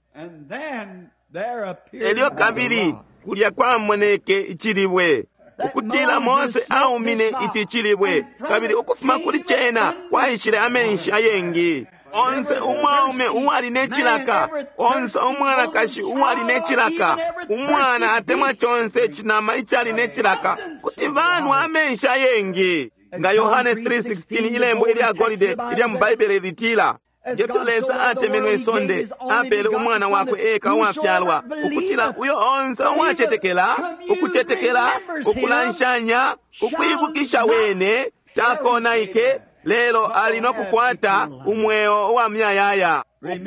Elyo kabili kulya kwamoneke icilibwe ukutila Mose aumine ici cilibwe, kabili ukufuma kuli cena kwaishile amenshi ayengi. Onse umwaume uwali ne cilaka, onse umwanakashi uwali ne cilaka, umwana atemwa conse cinama icali ne cilaka, kuti banwa amenshi ayengi. Nga Yohane three sixteen ilembo ilya golide ilya mu Baibele litila, ngefyo Lesa atemenwe isonde, apele umwana wakwe eka uwafyalwa, ukutila uyo onse uwacetekela, ukucetekela, ukulanshanya, ukwibukisha wene, takonaike, lelo ali no kukwata umweo uwa muyayaya.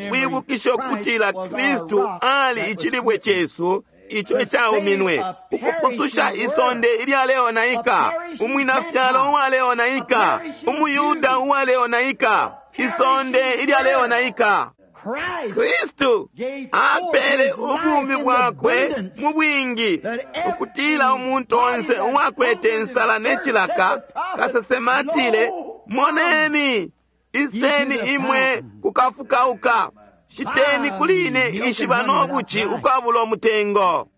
Ukwibukisha ukutila Kristu ali icilibwe cesu ico icauminwe, ukupususha isonde ilyaleonaika, umwinafyalo uwaleonaika, umuyuda uwaleonaika, isonde ilyaleonaika. Kristu apele ubumi bwakwe mu bwingi ukutila umuntu onse uwakwete insala ne cilaka. Kasesema atile, moneni, iseni imwe kukafukauka, shiteni kuli ine ishiba no buci ukwabula umutengo.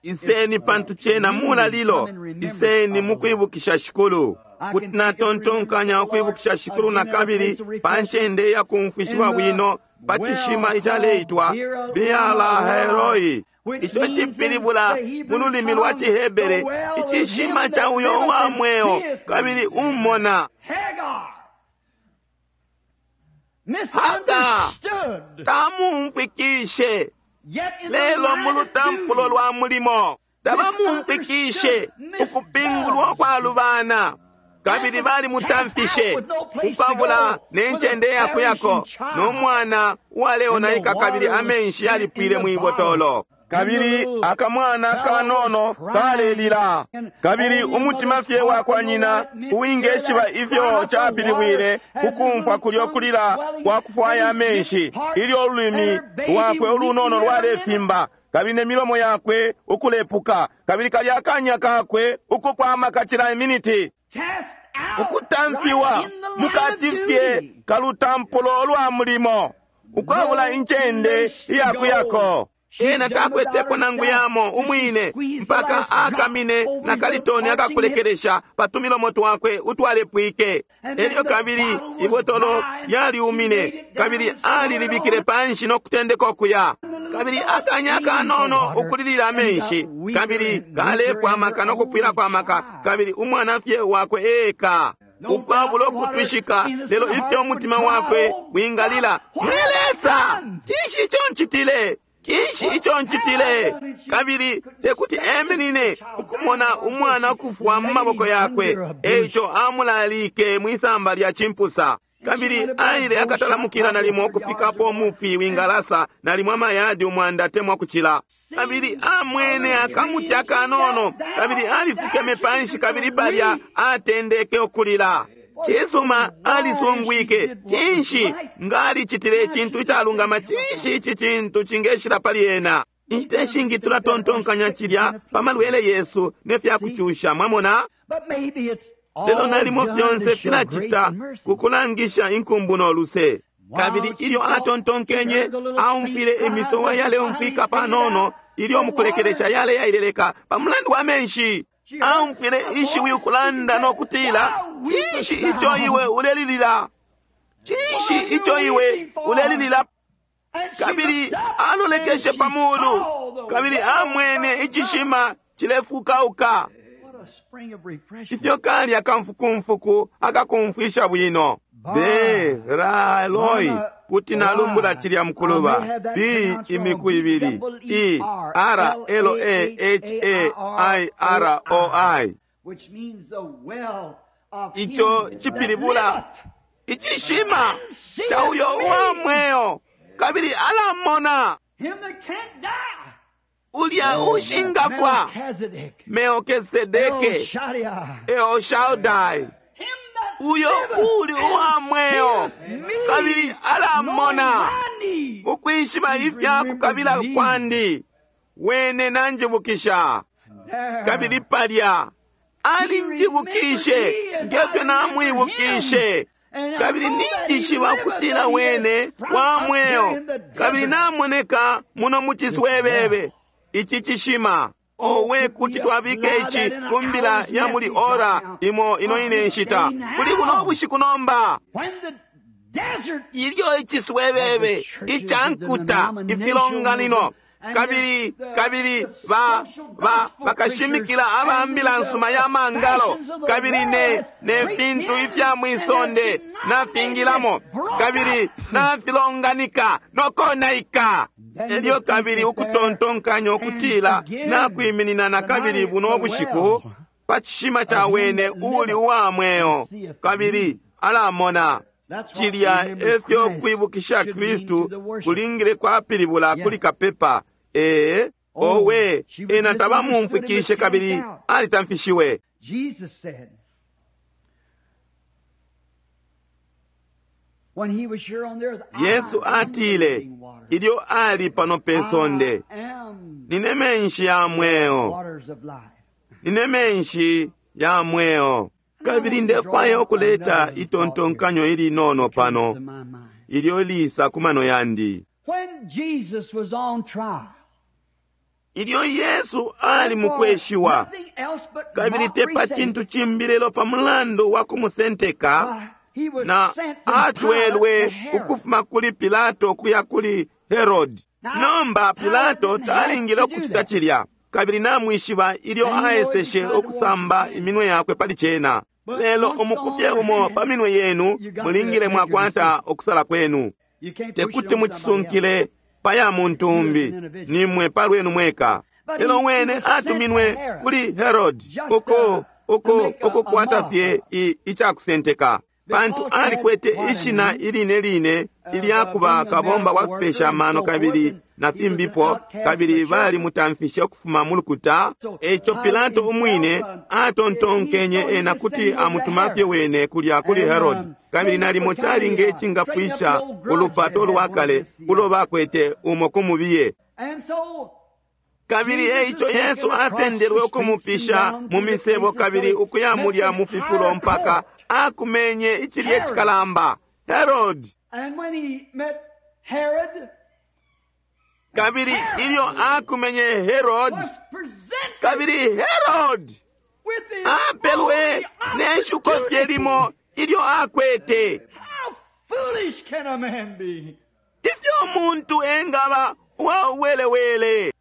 Iseni pantu cena mulalilo, iseni mukwibukisha Shikulu. Kuti natontonkanya ukwibukisha Shikulu na kabili pa ncende ya kumfwishiwa bwino pa cishima icaleitwa Beer-lahai-roi, ico cipilibula mu lulimi lwa ciHebere icishima ca uyo uwa mweo kabili umona. Haga tamumfwikishe, lelo mu lutampulo lwa mulimo tabamumfwikishe ukupingulwa kwalubana. Kabili balimutamfishe ukwabula ne ncende yakuyako no mwana uwaleonaika, kabili amenshi yalipwile mwibotolo. Kabili akamwana kanono kalelila, kabili umutima fye wakwa nyina uwingeshiba ifyo capilibwile kukumfwa kulyo kulila kwa kufwaya amenshi, ilyo ululimi lwakwe ulunono lwalefimba, kabili ne milomo yakwe ukulepuka, kabili kalya akanya kakwe ukukwama kacila iminiti. Ukutamfiwa mukati fye kalutampulo lwa mulimo ukwabula incende iyakuyako. Ena takwetepo nangu yamo umwine mpaka akamine na kalitoni akakulekelesha pa tumilomo twakwe utwalepwike. Elyo kabili ibotolo lyaliumine, kabili alilibikile panshi no kutendeka ukuya. Kabili akanya kanono ukulilila amenshi, kabili kalepwa amaka no kupwila kwa maka, kabili umwana fye wakwe eka ukwabula ukutwishika, lelo ifyo umutima wakwe wingalila, mwe Lesa, cinshi ico ncitile? Cinshi ico ncitile? Kabili tekuti eminine ukumona umwana ukufwa mu maboko yakwe, eico amulalike mwisamba lya cimpusa. Kabili aile akatalamukila nalimo ukufikapo umufi wingalasa nalimo amayadi umwanda atemwa kucila. Kabili amwene akamuti akanono, kabili alifukeme panshi, kabili palya atendeke ukulila. Cisuma, alisungwike, cinshi nga alicitile icintu icalungama? Cinshi ici cintu cingeshila pali ena? Inshita ishingi tulatontonkanya cilya pa malwele yesu ne fya kucusha, mwamona. Lelo nalimo fyonse filacita kukulangisha inkumbu no luse. Kabili ilyo atontonkenye, aumfwile imisowa yaleumfwika panono, ilyo mukulekelesha yale yaileleka pa mulandu wa menshi. Aumfwile ishiwi ukulanda no kutila, cinshi ico iwe ulelilila? Cinshi ico iwe ulelilila? Kabili alolekeshe pa mulu, kabili amwene icishima cilefukauka. Ifyo kali akamfukumfuku akakumfwisha bwino. Beer-lahai-roi, Kuti nalumbula cilya mukuluba B imiku ibili E R L A H A I R O I, ico cipilibula icishima ca uyo uwa mweo, kabili alamona ulya ushingafwa, Melkisedeke, El Shaddai, uyo uli uwa mweo kabili alamona ukwishiba ifya kukabila kwandi, wene nanjibukisha. Kabili palya alinjibukishe ngefyo namwibukishe, kabili ninjishiba ukutila wene wa mweo kabili namoneka muno mu ciswebebe ici cishima. Owe, kuti twabika ici ku mbila ya muli ora imo ino ine nshita kuli buno bushiku nomba, ilyo iciswebebe icankuta ifilonganino kabili kabili ba ba bakashimikila aba mbila nsuma ya mangalo kabili ne ne fintu ifya mwisonde nafingilamo kabili nafilonganika nokonaika. Elyo kabili ukutontonkanya ukutila nakwiminina na kabili buno bushiku pa cishima ca wene uli uwa mweo kabili alamona. Cilya efyo kwibukisha Kristu kulingile kwapilibula kuli kapepa. Ee, owe, ena tabamumfwikishe kabili alitamfishiwe. Yesu atile ilyo ali pano pe sonde, nine menshi ya mweo, nine menshi ya mweo. Kabili ndefwaya ukuleta itontonkanyo ilinono pano ilyo lisa ku mano yandi. Ilyo Yesu ali mukweshiwa kabili tepa cintu cimbi lelo pa mulandu wa kumusenteka, na atwelwe ukufuma kuli Pilato kuya kuli Herod. Nomba Pilato talingile ukucita cilya, kabili namwishiba ilyo aeseshe ukusamba iminwe yakwe pali cena. Lelo umukufye umo pa minwe yenu mulingile mwakwata okusala kwenu. Tekuti mucisunkile pa ya muntu umbi, nimwe pa lwenu mweka. Lelo wene atuminwe kuli Herod uko uko ukukwata fye icakusenteka, pantu alikwete ishina iline line ilyakuba kabomba wa fipesha amano kabili na fimbipo, kabili balimutamfishe ukufuma mu lukuta. Eco Pilato umwine atontonkenye ena kuti amutumafye wene kulya kuli Herod, kabili nalimo calinge icingapwisha ulupato lwa kale ulo bakwete umo kumubiye. Kabili eico Yesu asendelwe ukumupisha mu misebo kabili ukuya mulya mu fifulo mpaka akumenye icilye cikalamba Herod. Kabili ilyo akumenye Herod, kabili Herod apelwe neshuko fye limo ilyo akwete. Ifyo umuntu engaba uwauwelewele!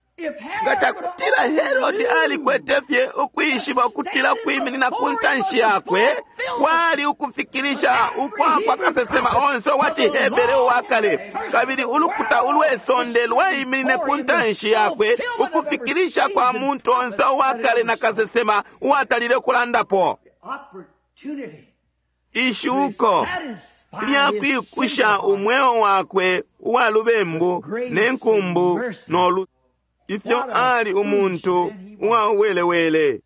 Nga cakutila Herodi alikwete fye ukwishiba ukutila kwiminina ku ntanshi yakwe kwali ukufikilisha ukwa kwa kasesema onse wa ciHebere uwa kale, kabili ulukuta ulwe sonde lwaiminine ku ntanshi yakwe ukufikilisha kwa muntu onse uwa kale na kasesema uwatalile kulandapo. Ishuko lyakwikusha umweo wakwe uwa lubembu ne nkumbu nolu ifyo ali umuntu uwauwelewele.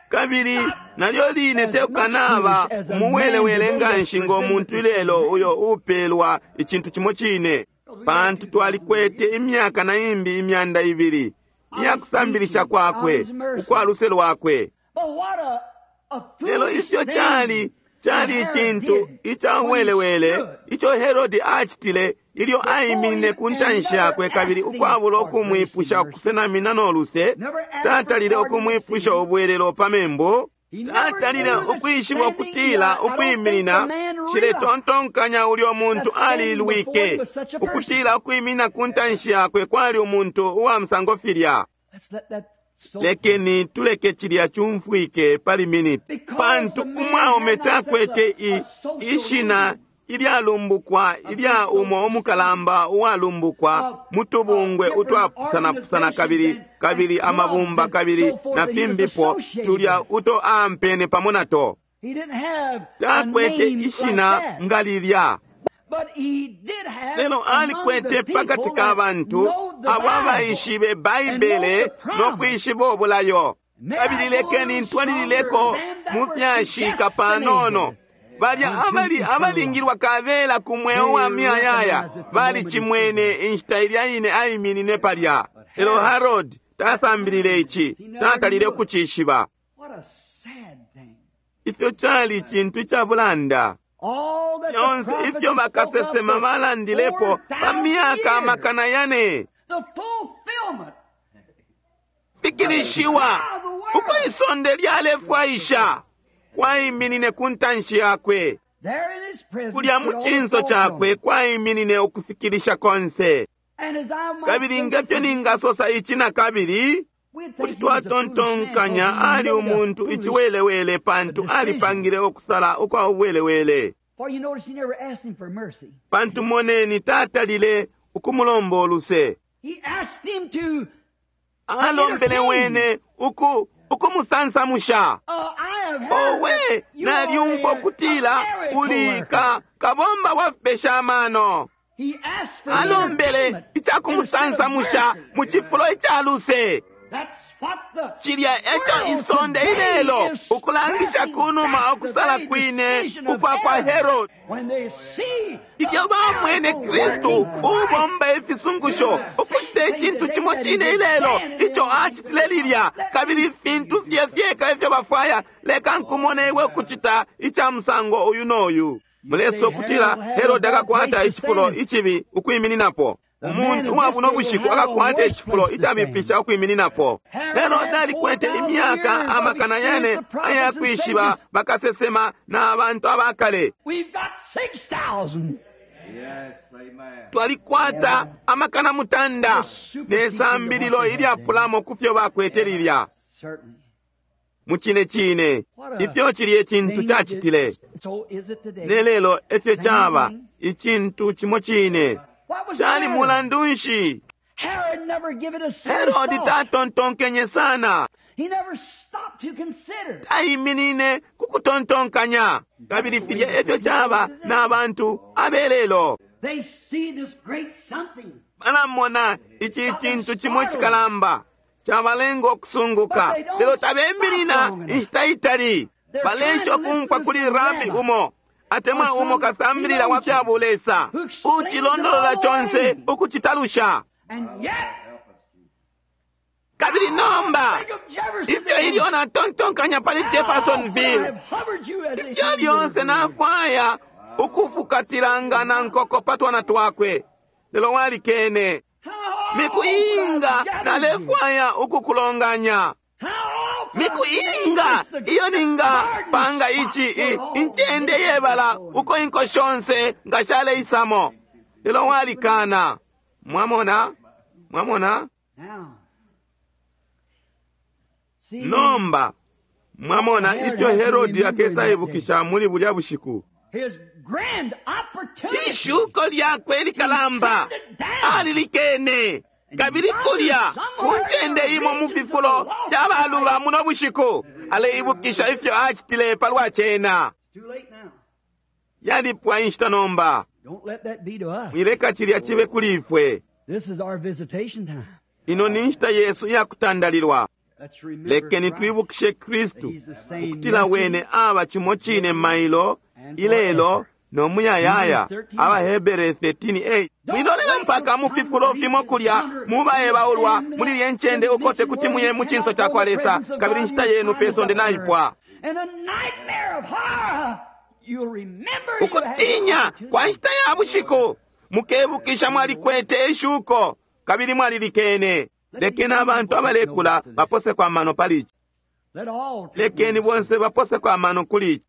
Kabili nalyo line tekukanaba umuwelewele nganshi ngo muntu ilelo uyo upelwa icintu cimo cine, pantu twalikwete imyaka na imbi imyanda ibili iyakusambilisha kwakwe ukwa luse lwakwe. Lelo ifyo cali cali icintu icauwelewele ico Herodi acitile ilyo aiminine ku ntanshi yakwe kabili ukwabula ukumwipusha ukusenamina no luse, tatalile ukumwipusha ubwelelo pa membu, tatalile ukwishiba ukutila ukwiminina ciletontonkanya ulyo muntu alilwike ukutila ukwiminina ku ntanshi yakwe kwali umuntu uwa musango filya. Lekeni tuleke cilya cumfwike pali miniti, pantu umwaume takwete ishina ilyalumbukwa ilya umo umukalamba uwalumbukwa mutubungwe utwapusanapusana kabili kabili amabumba kabili na fimbipo tulya uto ampene pamo nato. Takwete ishina nga lilya, lelo alikwete pakati ka bantu abo abaishibe Baibele no kwishiba obulayo. Kabili lekeni ntwalilileko mu fyashika panono. Balya abali abalingilwa kabela ku mweo wa miyayaya balicimwene inshita ilya ine aiminine palya. Lelo Herod tasambilile ici, tatalile ukucishiba. Ifyo cali cintu icabulanda. Fyonse ifyo bakasesema balandilepo pa myaka amakana yane fikilishiwa uko isonde lyalefwaisha kwaiminine ku ntanshi yakwe. Kulya mu cinso cakwe kwaiminine ukufikilisha konse. Kabili ngefyo ningasosa ici na kabili, kuti twatontonkanya ali umuntu iciwelewele pantu alipangile ukusala ukwa ubuwelewele. Pantu moneni tatalile ukumulomba uluse. Alombele wene uku ukumusansamusha. Owe, nalyumfwa ukutila uli ka kabomba wa fipesha amano. Alombele icakumusansamusha mu cifulo ica luse. Cilya eco isonde ilelo ukulangisha kunuma okusala kwine ukwa kwa Herod. Ilyo bamwene Kristu ubomba ifisungusho ukucita icintu cimo cine ilelo ico acitile lilya, kabili ifintu fye fyeka ifyo bafwaya, leka nkumone iwe ukucita ica musango uyu noyu. Mulesa ukutila Herod akakwata icifulo icibi ukwimininapo. Umuntu uwa buno bushiku akakwata icifulo icabipisha ukwimininapo. Herod alikwete imyaka amakana yane ayakwishiba bakasesema na abantu abakale. Twalikwata amakana mutanda ne sambililo ilyapulamo ku fyo bakwete lilya. Mucine cine ifyo cilye icintu cacitile ne lelo efyo caba icintu cimo cine. Cali mulandu nshi? Herodi tatontonkenye sana, taiminine ku kutontonkanya. Kabili filya efyo caba na bantu abelelo. Balamona ici cintu cimo cikalamba cabalenga okusunguka, lelo tabeminina inshita itali. Balesha okumfwa kuli rabi umo atemwa umo kasambilila wa fya bulesa ucilondolola conse ukucitalusha. Kabili nomba ifyo ilyo natontonkanya pali Jeffersonville, ifyo lyonse nafwaya ukufukatilanga na nkoko pa twana twakwe, lelo walikene. Miku inga nalefwaya ukukulonganya, miku inga iyo ninga panga ici incende yebala uko inko shonse nga shaleisamo, lelo walikana. Mwamona, mwamona. Nomba mwamona ifyo Herodi akesaibukisha muli bulya bushiku. Ishuko lyakwe likalamba alilikene. Kabili kulya ku ncende imo mu fifulo fyabaluba muno bushiku aleibukisha ifyo acitile palwa cena. Yalipwa inshita nomba. Mwileka cilya cibe kuli ifwe. Ino ni nshita yesu iyakutandalilwa. Lekeni twibukishe Kristu ukutila wene aba cimo cine mailo ilelo no muyayaya. Abahebere thirteen eight. Mwilolela mpaka mu fifulo fimo kulya mubaebaulwa muli lye ncende ukote kuti muye mu cinso ca kwa Lesa, kabili inshita yenu pe sonde naipwa. Ukutinya kwa nshita ya bushiku mukebukisha mwalikwete ishuko kabili mwalilikene. Lekeni abantu abalekula baposeko amano pali ici. Lekeni bonse baposeko amano kuli ici.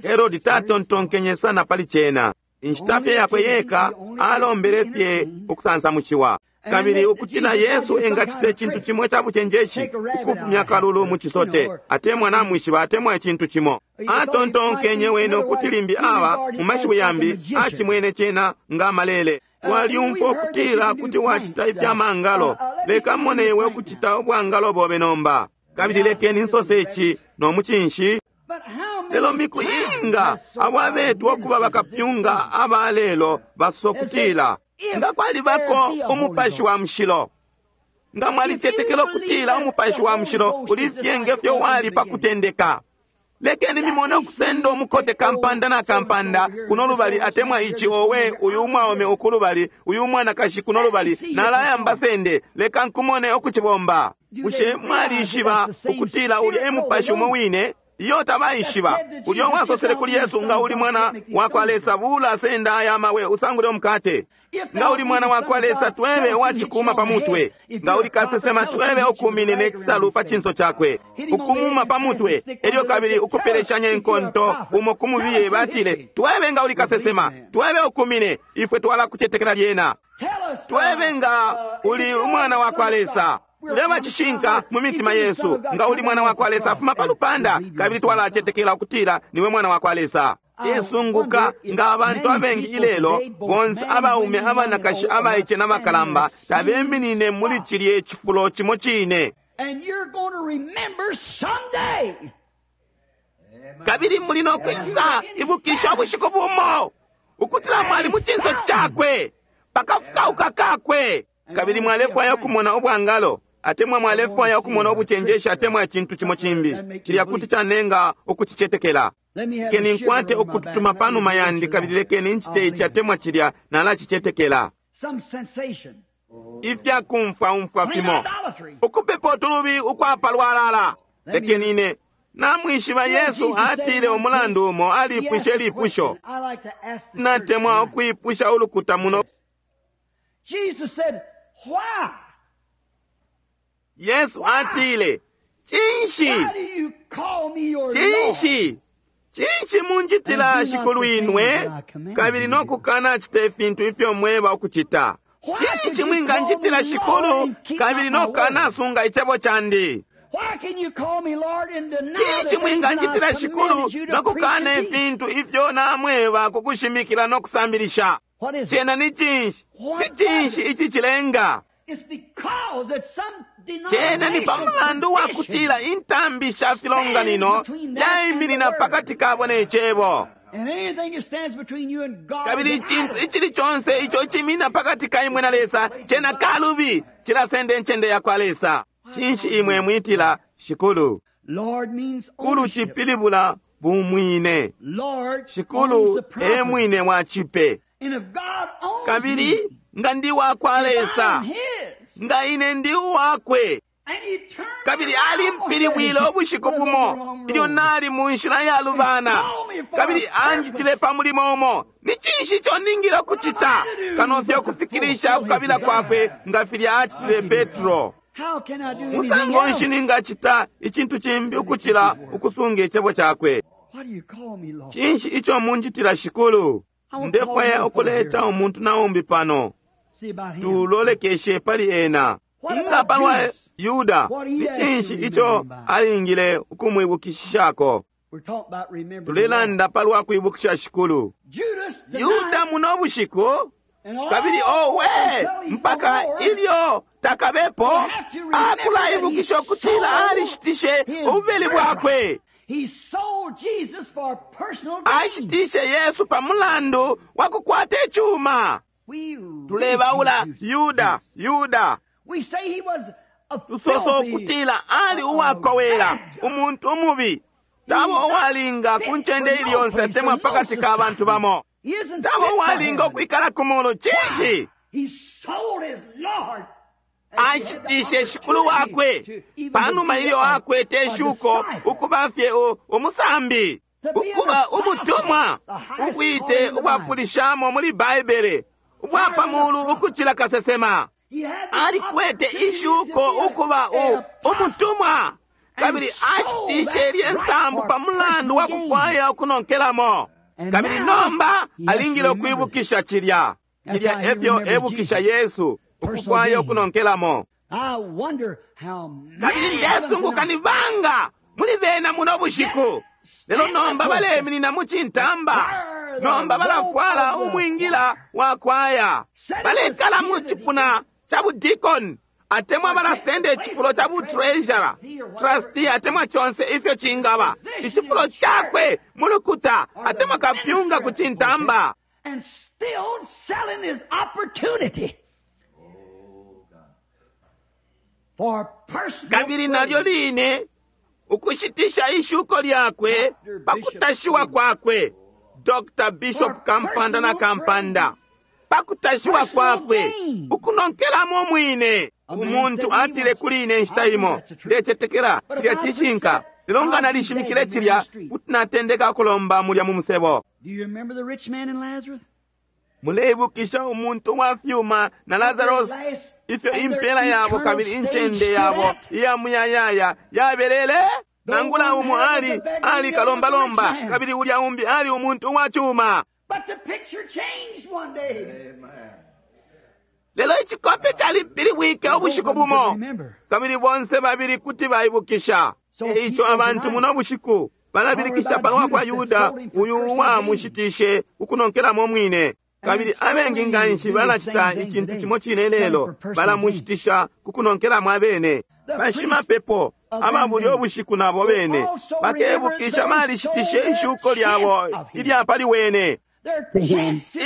Herodi tatontonkenye sana pali cena. Inshita fye yakwe yeka alombele fye ukusansamushiwa. Kabili ukutila Yesu engacita icintu cimo ica bucenjeshi, ukufumya kalulu mu cisote, atemwa namwishiba, atemwa icintu cimo. Atontonkenye wene ukuti limbi aba mu mashiwi yambi acimwene cena nga malele. Walyumfwa ukutila kuti wacita ifyamangalo, leka mone iwe ukucita ubwangalo bobe nomba. Kabili lekeni nsose ici no mucinshi. Lelo miku inga abo abetwa ukuba bakapyunga aba lelo basokutila nga kwalibako umupashi wa mushilo, nga mwalicetekela ukutila umupashi wa mushilo uli fye ngefyo wali pa kutendeka, lekeni mimone ukusenda umukote kampanda na kampanda kuno lubali, atemwa ici, owe uyu umwaume uku lubali, uyu umwanakashi kuno lubali, nalayamba sende, leka nkumone ukucibomba. Bushe mwalishiba ukutila ulya e mupashi umo wine? Iyo tabaishiba. Ulya wasosele kuli Yesu, nga uli mwana wa kwa Lesa, bula senda aya mawe usangule umukate. Nga uli mwana wa kwa Lesa, twebe wachikuma pa mutwe. Nga uli kasesema, twebe ukumine nekisalu pa chinso chakwe, ukumuma pa mutwe. Elyo kabili ukupeleshanya inkonto umo kumubiye, batile, twebe nga uli kasesema, twebe ukumine, ifwe twala kucetekela lyena. Twebe nga uli umwana wa kwa Lesa. Tuleba cishinka mu mitima yesu, nga uli mwana wa kwa Lesa, afuma pa lupanda, kabili twalacetekela ukutila niwe mwana wa kwa Lesa. Yesunguka nga abantu abengi ilelo, bonse abaume, abanakashi, abaice n'abakalamba, tabeminine muli cilye cifulo cimo cine. Kabili muli no kwisa ibukisha ubushiku bumo ukutila mwali mu cinso cakwe, pakafukauka kakwe. Kabili mwalefwaya ukumona ubwangalo, atemwa mwalefwaya ukumona ubucenjeshi, atemwa icintu cimo cimbi cilya kuti canenga ukucicetekela. Lekeni nkwate ukututuma panuma yandi, kabili lekeni ncite ici atemwa cilya, nalacicetekela. Ifyakumfwaumfwa fimo, ukupepa utulubi ukwapalwalala. Lekeni ine namwishiba Yesu atile umulandu umo alipwishe lipusho. Natemwa ukwipusha ulukuta muno. Jesus said, why? Yesu atile, cinshi? Why do you call me your Lord? Cinshi? Cinshi munjitila shikulwinwe, kabili nokukana cita ifintu ifyo mweba ukucita? Cinshi mwinganjitila shikulu, kabili nokukana sunga icebo candi? Why can you call me Lord and deny the Cinshi things that mwinganjitila I've shikulu, commanded you to preach nokukana and teach? ifintu ifyo namweba kukushimikila nokusambilisha? What is it? Cena ni cinshi? Ni cinshi ici cilenga? It's because that some Cena ni pa mulandu wa kutila intambi sha filonganino yaiminina pakati kabo ne cebo. And anything that stands between you and God Kabili is an icintu idol. icili conse ico cimina pakati ka imwe na Lesa cena kalubi, cilasenda incende ya kwa Lesa. Cinshi imwe mwitila shikulu? Lord means Kulu ownership. cipilibula bumwine. Lord owns Shikulu the e property. mwine wa cipe. And if God owns Kabili me, nga ndi wa kwa if Lesa, I'm his, nga ine ndi uwakwe, and he turned kabili around alimpilibwile ubushiku bumo ilyo nali mu nshila yalubana, kabili anjitile pa mulimo umo. Ni cinshi ico ningile ukucita kano fye ukufikilisha ukukabila kwakwe nga filya acitile Petro? How can I do anything Musango nshi else? ningacita icintu cimbi ukucila ukusunga icebo cakwe? Why do you call me Lord? Cinshi ico munjitila shikulu? Ndefwaya ukuleta umuntu na umbi pano, See about him. tulolekeshe pali ena. Inga palwa Yuda, ni cinshi ico alingile ukumwibukishako? We're talking about remembering. Tulelanda palwa kwibukisha shikulu. Judas denied Yuda muno bushiku, and all kabili owe until he's mpaka no more, ilyo takabepo akulaibukisha ukutila alishitishe ububeli bwakwe. He sold Jesus for personal gain. Ashitishe Yesu pa mulandu wa kukwata icuma. We Tulebaula ridicule Yuda, Yuda. We say he was a Tusosa filthy, ukutila ali uwakowela, umuntu umubi, tabo uwalinga ku ncende ili yonse atemwa pakati ka bantu bamo, He isn't tabo fit for uwalinga heaven. ukwikala ku mulu. Cinshi? He sold his Lord. Ashitishe shikulu wakwe panuma ilyo akwete ishuko ukuba fye u- umusambi, ukuba umutumwa, ubwite ubwapulishamo muli Baibele, ubwa pa mulu ukucila kasesema. He had the Alikwete opportunity ishuko to be a- ukuba u- an umutumwa, kabili ashitishe lye nsambu pa mulandu wa kufwaya ukunonkelamo. Kabili nomba alingile ukwibukisha cilya. Cilya efyo ebukisha Yesu, ukufwaya ukunonkelamo. Kabili ndesunguka ni banga muli bena muno bushiku. Lelo nomba baleminina mu cintamba. Nomba balafwala umwingila wa kwaya. Balekala mu cipuna ca budikoni, atemwa balasenda icifulo ca butreasurer, trustee, atemwa conse ifyo cingaba icifulo cakwe mu lukuta, atemwa kapyunga ku cintamba. And still selling his opportunity for personal Kabili nalyo line ukushitisha ishuko lyakwe pakutashiwa kwakwe Doctor Bishop Kampanda na Kampanda, pakutashiwa kwakwe ukunonkelamo mwine. Umuntu atile kuli ine inshita imo, ndecetekela cilya cishinka, lelo nga nalishimikile cilya kuti natendeka kulomba mulya mu musebo. Do you remember the rich man and Lazarus? Muleibukisha umuntu wa fyuma na Lazarus, ifyo impela yabo kabili incende yabo iya muyayaya yabelele? Nangula umo ali ali kalombalomba, kabili ulya umbi ali umuntu wa chuma. But the picture changed one day. Lelo icikope calipilibwike ubushiku bumo, kabili bonse babili kuti baibukisha. Eico abantu muno bushiku balabilikisha palwa kwa Yuda uyu uwamushitishe ukunonkelamo mwine. Kabili abengi nganshi balacita icintu cimo cine lelo, balamushitisha kukunonkelamo abene. Bashimapepo aba bulyo bushiku nabo bene bakebukisha balishitishe ishuko lyabo ilya pali wene,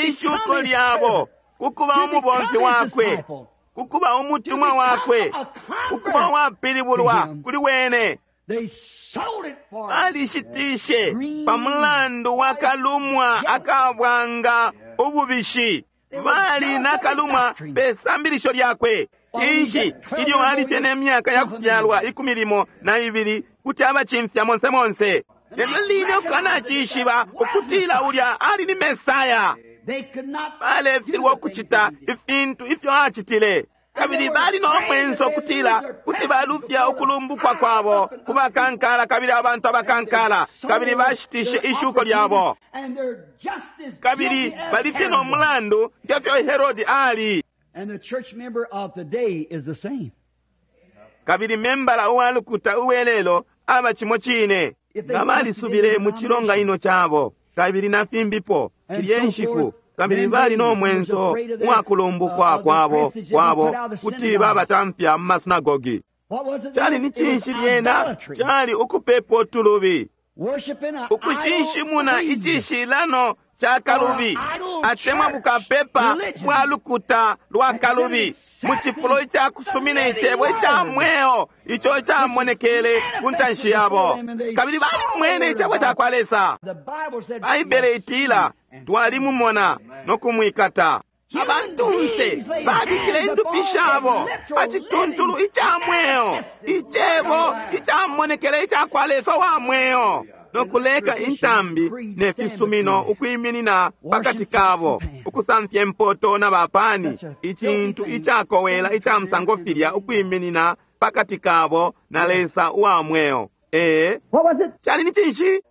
ishuko lyabo kukuba umubomfi wakwe, kukuba umutumwa wakwe, kukuba uwapilibulwa kuli wene. Balishitishe pamulandu wa kalumwa akabwanga ububishi. Bali nakalumwa pe sambilisho lyakwe. Cinshi ilyo alifye ne myaka ya kufyalwa ikumi limo na ibili kuti abacimfya monse monse. Lelo line ukanacishiba ukutila ulya ali ni Mesaya. Balefilwa ukucita ifintu ifyo acitile. Kabili bali no mwenso kutila kuti balufya ukulumbukwa kwabo ku bakankala kabili abantu abakankala, kabili bashitishe ishuko lyabo. Kabili balifye no mulandu ngefyo Herodi ali. And the church member of today is the same. Kabili membala uwa lukuta uwelelo aba cimo cine. Nga balisubile mu cilonganino cabo kabili na fimbipo cilye nshiku, kabili bali no mwenso uwakulumbukwa kwabo kwabo kuti babatamfya mu masinagogi. Cali ni cinshi lyena? Cali ukupepo tulubi, ukushinshimuna icishilano ca kalubi, atemwa bukapepa bwa lukuta lwa kalubi, mu cifulo ica kusumina icebo ica mweo ico icamonekele ku ntanshi yabo. Kabili balimwene icebo ca kwa Lesa. Baibele itila twalimumona no kumwikata. Abantunse babikile indupi shabo pa cituntulu ica mweo, icebo icamonekele ica kwa Lesa wa mweo, no kuleka intambi ne fisumino ukwiminina pakati kabo, ukusamfya impoto na bapani, icintu icakowela ica musango filya ukwiminina pakati kabo na Lesa uwa mweo. Ee, cali ni cinshi?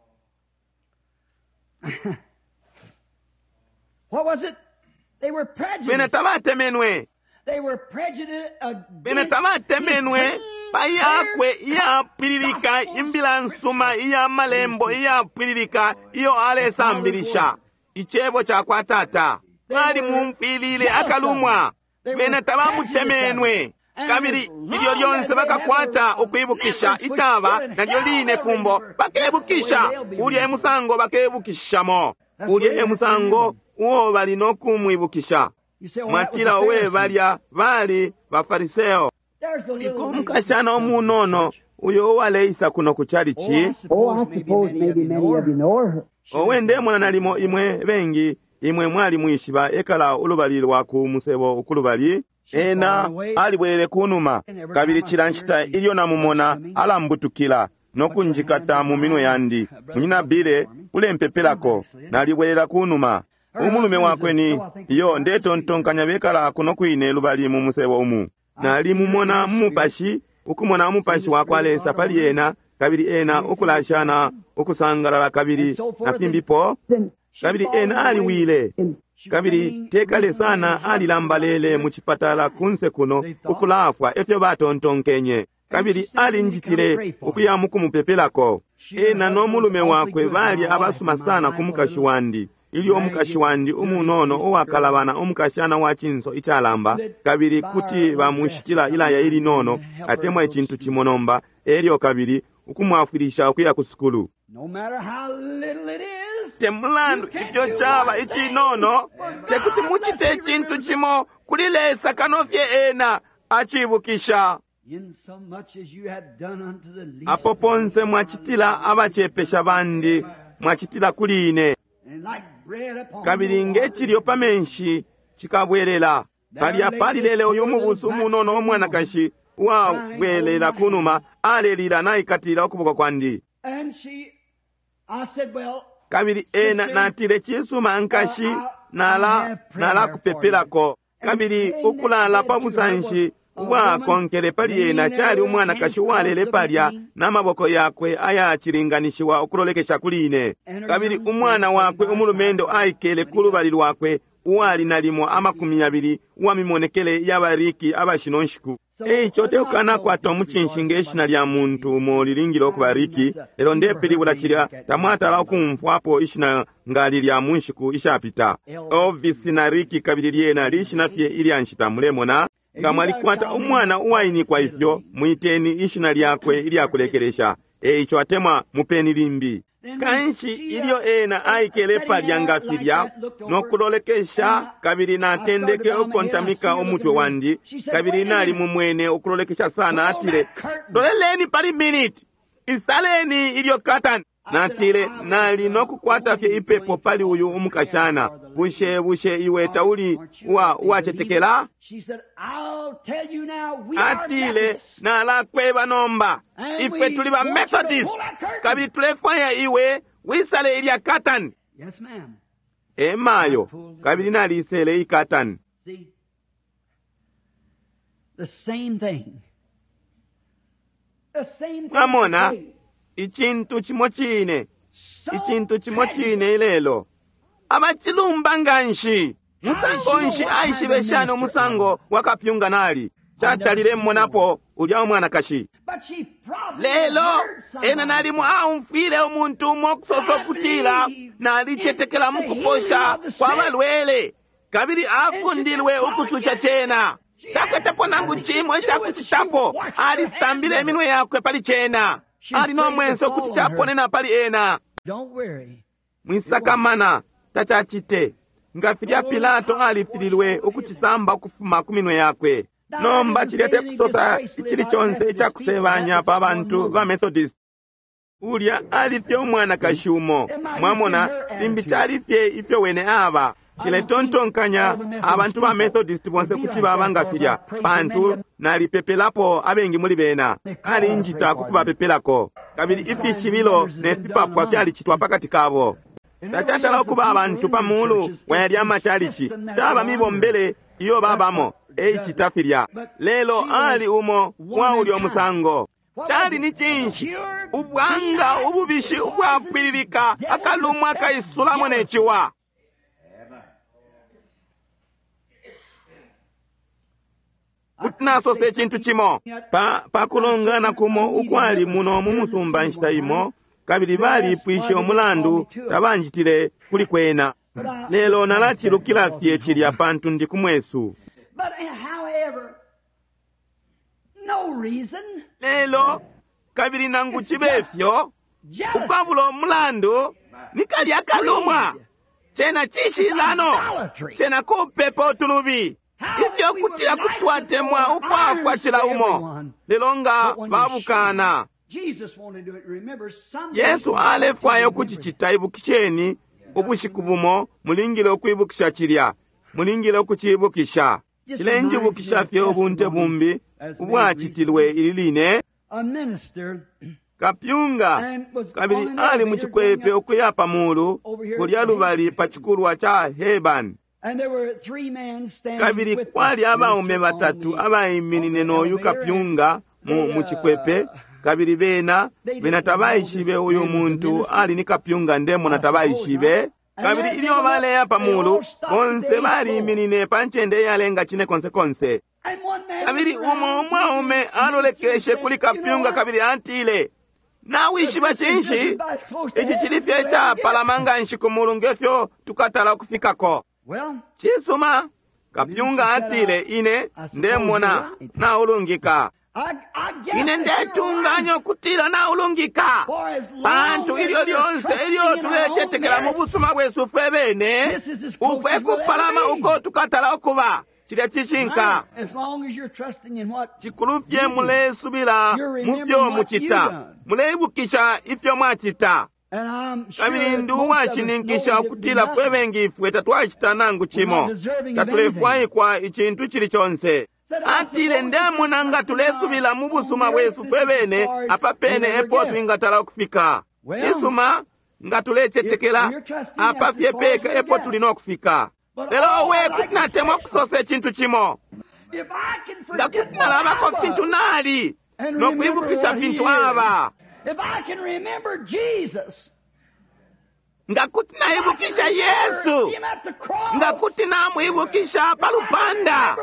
What was it? They were Bena prejudiced. tabatemenwe. They were prejudiced Bena against tabatemenwe pa yakwe iyapwililika imbila nsuma iya malembo iyapwililika iyo alesambilisha icebo ca kwa Tata. Balimumfwilile akalumwa. Bena tabamutemenwe. Kabili ilyo lyonse bakakwata ukwibukisha icaba nalyo line kumbo bakebukisha. Ulya e musango bakebukishamo. Ulya e musango uo bali no kumwibukisha. You say, well, that was Mwatila the uwe Pharisees. balya bali bafariseo. There's the little Iko lady umukashana umunono uyo uwaleisa kuno ku Oh, I chalichi. Oh, I suppose maybe suppose many of maybe you many know of you her. know her. Owe ndemona nalimo imwe bengi imwe mwali mwishiba ekala ulubali lwa ku musebo ukulubali. Ena alibwelele kunuma, kabili cila nshita ilyo namumona alambutukila no kunjikata mu minwe yandi. Munyina Bile ulempepelako, nalibwelela kunuma. Umulume wakwe ni iyo ndetontonkanya bekala kuno kwine lubali mu musebo umu. Nalimumona mu mupashi, ukumona umupashi wa kwa Lesa pali ena, kabili ena ukulashana ukusangalala kabili na fimbipo. Kabili ena aliwile. Kabili tekale sana alilambalele mu chipatala kunse kuno ukulafwa efyo batontonkenye. Kabili alinjitile ukuya mukumupepelako. Ena no mulume wakwe bali abasuma sana ku mukashi wandi. Ilyo umukashi wandi umunono uwakalabana umukashana wa chinso ichalamba, kabili kuti bamushitila ilaya ilinono atemwa icintu cimo nomba, elyo kabili ukumwafwilisha ukuya ku sukulu. Te mulandu ifyo chaba ichinono, tekuti muchite icintu cimo kuli Lesa kano fye ena achibukisha. Apo ponse mwachitila abachepesha bandi, mwachitila kuli ine. Kabili ngechilyo pa menshi chikabwelela. Palya palilele uyu mubusu umunono umwanakashi uwabwelela kunuma alelila naikatila ukuboko kwandi. Kabili ena natile chisuma nkashi nala nalakupepelako. Kabili ukulala pa busanshi ubwakonkele pali ena chali umwanakashi uwalele palya n'amaboko yakwe ayachilinganishiwa ukulolekesha kuli ine. Kabili umwana wakwe umulumendo aikele ku lubali lwakwe uwali nalimo amakumi yabili uwamimonekele y'abariki abashino nshiku. Eico tekukanakwata omucinshi ng'eshina lya muntu umo lilingile okuba Riki, lelo ndepilibula chilya tamwatala okumfwapo ishina nga lilya mu nshiku ishapita. Elvis na Riki kabili lyena lishina fye ilya nshita mulemona. Nga mwalikwata umwana uwainikwa ifyo, mwiteni ishina lyakwe ilyakulekelesha. Eico atemwa mupeni limbi. Kanshi ilyo ena aikele palya nga filya nokulolekesha, kabili natendeke ukontamika umutwe wandi, kabili nali mumwene ukulolekesha sana. Atile, loleleni pali minute, isaleni ilyo katani. Natile, nali nokukwata fye ipepo pali uyu umukashana. Bushe bushe iwe tauli uwa uwachetekela? Atile, nalakweba nomba, ifwe tuli ba Methodist, kabili tulefwaya iwe wisale ilya katani. Emayo, kabili nalisele ikatani. Mwamona, icintu cimo cine, icintu cimo cine ilelo. Abachilumba nganshi. Musango nshi aishibe shani umusango wakapyunga nali? Chatalile mmonapo ulya umwanakashi. Lelo ena nalimo aumfwile umuntu umo okusosa okutila nalichetekela mu kuposha kwa balwele, kabili afundilwe ukususha chena. Takwetepo nangu cimo icakucitapo, alisambile iminwe yakwe pali chena. Ali no mwenso kuti chaponena pali ena. Mwisakamana tachachite. Nga filya Pilato alifililwe ukuchisamba ukufuma ku minwe yakwe. Nomba chilya tekusosa ichili chonse ichakusebanya pa bantu ba Methodist. Ulya alifye umwanakashi umo. Mwamona, limbi chalifye ifyo wene aba. Chiletontonkanya abantu ba Methodist bonse kuti baba nga filya, pantu nalipepelapo abengi muli bena. Alinjita kukubapepelako. Kabili ifishibilo ne fipapwa fyalichitwa pakati kabo. Tachatala okuba abantu pa mulu wayalya amachalichi, chaba mibombele iyo babamo eichita filya. Lelo ali umo wa ulya omusango. Chali ni chinshi? Ubwanga ububishi ubwapwililika akalumwa kaisulamo ne chiwa. Kuti nasose icintu cimo pa pakulongana kumo ukwali muno mu musumba nshita imo, kabili balipwishe umulandu tabanjitile kuli kwena. Lelo nalachilukila fye chilya pantu ndi kumwesu. Lelo kabili nangu chibe fyo ukwabula umulandu ni kalya kalumwa chena chishilano chena kupepa utulubi. Ifyo kutila kutwatemwa ukwafwa chila umo, lelo nga babukana. Yesu alefwaya ukuchichita. Ibukisheni, ubushiku bumo mulingile ukwibukisha chilya, mulingile ukuchibukisha. Chilenjibukisha fye ubunte bumbi ubwachitilwe ili line. Kapyunga kabili ali muchikwepe ukuya pa mulu kulya lubali pa chikulwa cha Hebani. Kabili kwali abaume batatu abaiminine noyu kapyunga mu muchikwepe, kabili bena bena tabaishibe uyu muntu ali ni kapyunga ndemona tabaishibe. Kabili ilyo baleya pa mulu, bonse baliminine pa ncende iyalenga cine konse konse. Kabili umo umwaume alolekeshe kuli kapyunga kabili atile, nawishiba cinshi? Ici cili fye icapalama nga nshi ku mulu ngefyo tukatala ukufikako. Cisuma, kapyunga atile, ine ndemona naulungika. Ine ndetunganya ukutila naulungika, pantu ilyo lyonse ilyo tulecetekela mu busuma bwesu fwe bene, ukwe kupalama uko tukatala ukuba. Cilya cishinka. Cikulu fye mulesubila mu fyo mucita, muleibukisha ifyo mwacita. Kabili ndi uwashininkisha ukutila fwe bengi ifwe tatwacita nangu cimo, tatulefwaikwa icintu cili conse. Atile, ndemona nga tulesubila mu busuma bwesu fwe bene, apa pene epo twingatala ukufika. Cisuma, nga tulecetekela, apa fye peka epo tuli no kufika. Lelo we kuti natemwa kusosa icintu cimo, nga kuti nalabako fintu nali no kwibukisha fintu aba, nga kuti naibukisha Yesu, nga kuti namwibukisha pa lupanda,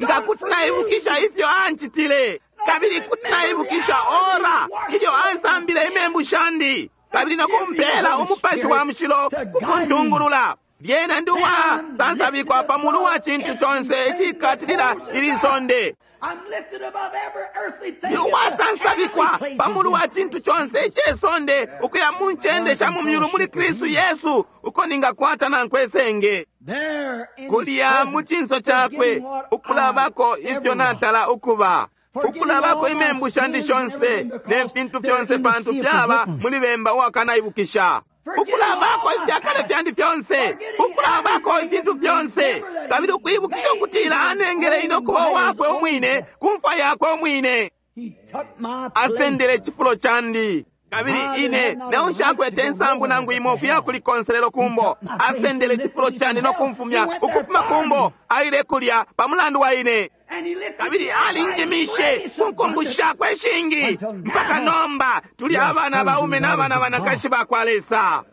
nga kuti naibukisha ifyo ancitile, kabili kuti naibukisha ora ilyo ansambile imembu shandi, kabili nokumpela umupashi wa mushilo kukuntungulula. Lyena ndi uwasansabikwa pa mulu wa cintu conse icikatilila ili sonde. Ndi uwasansabikwa pa mulu wa cintu conse ice sonde ukuya mu ncende sha mu myulu muli Kristu Yesu, uko ningakwata nankwe senge. Kulya mu cinso cakwe ukulabako ifyo natala ukuba, ukulabako imembu shandi shonse ne fintu fyonse, pantu fyaba muli bemba uwakanaibukisha. Ukulabako ifyakale fyandi fyonse, ukulabako ifintu fyonse, kabili ukwibukisha ukutila anengele ine ukuba uwakwe umwine ku mfwa yakwe umwine. Asendele icifulo candi, kabili ine neo nshakwete insambu nangu imo ukuya kuli konselelo kumbo. Asendele icifulo candi no kumfumya ukufuma kumbo, aile kulya pa mulandu wa ine. Kabili alinjimishe ku nkumbu shakwe ishingi mpaka nomba tuli abana baume n'abana banakashi ba kwa Lesa.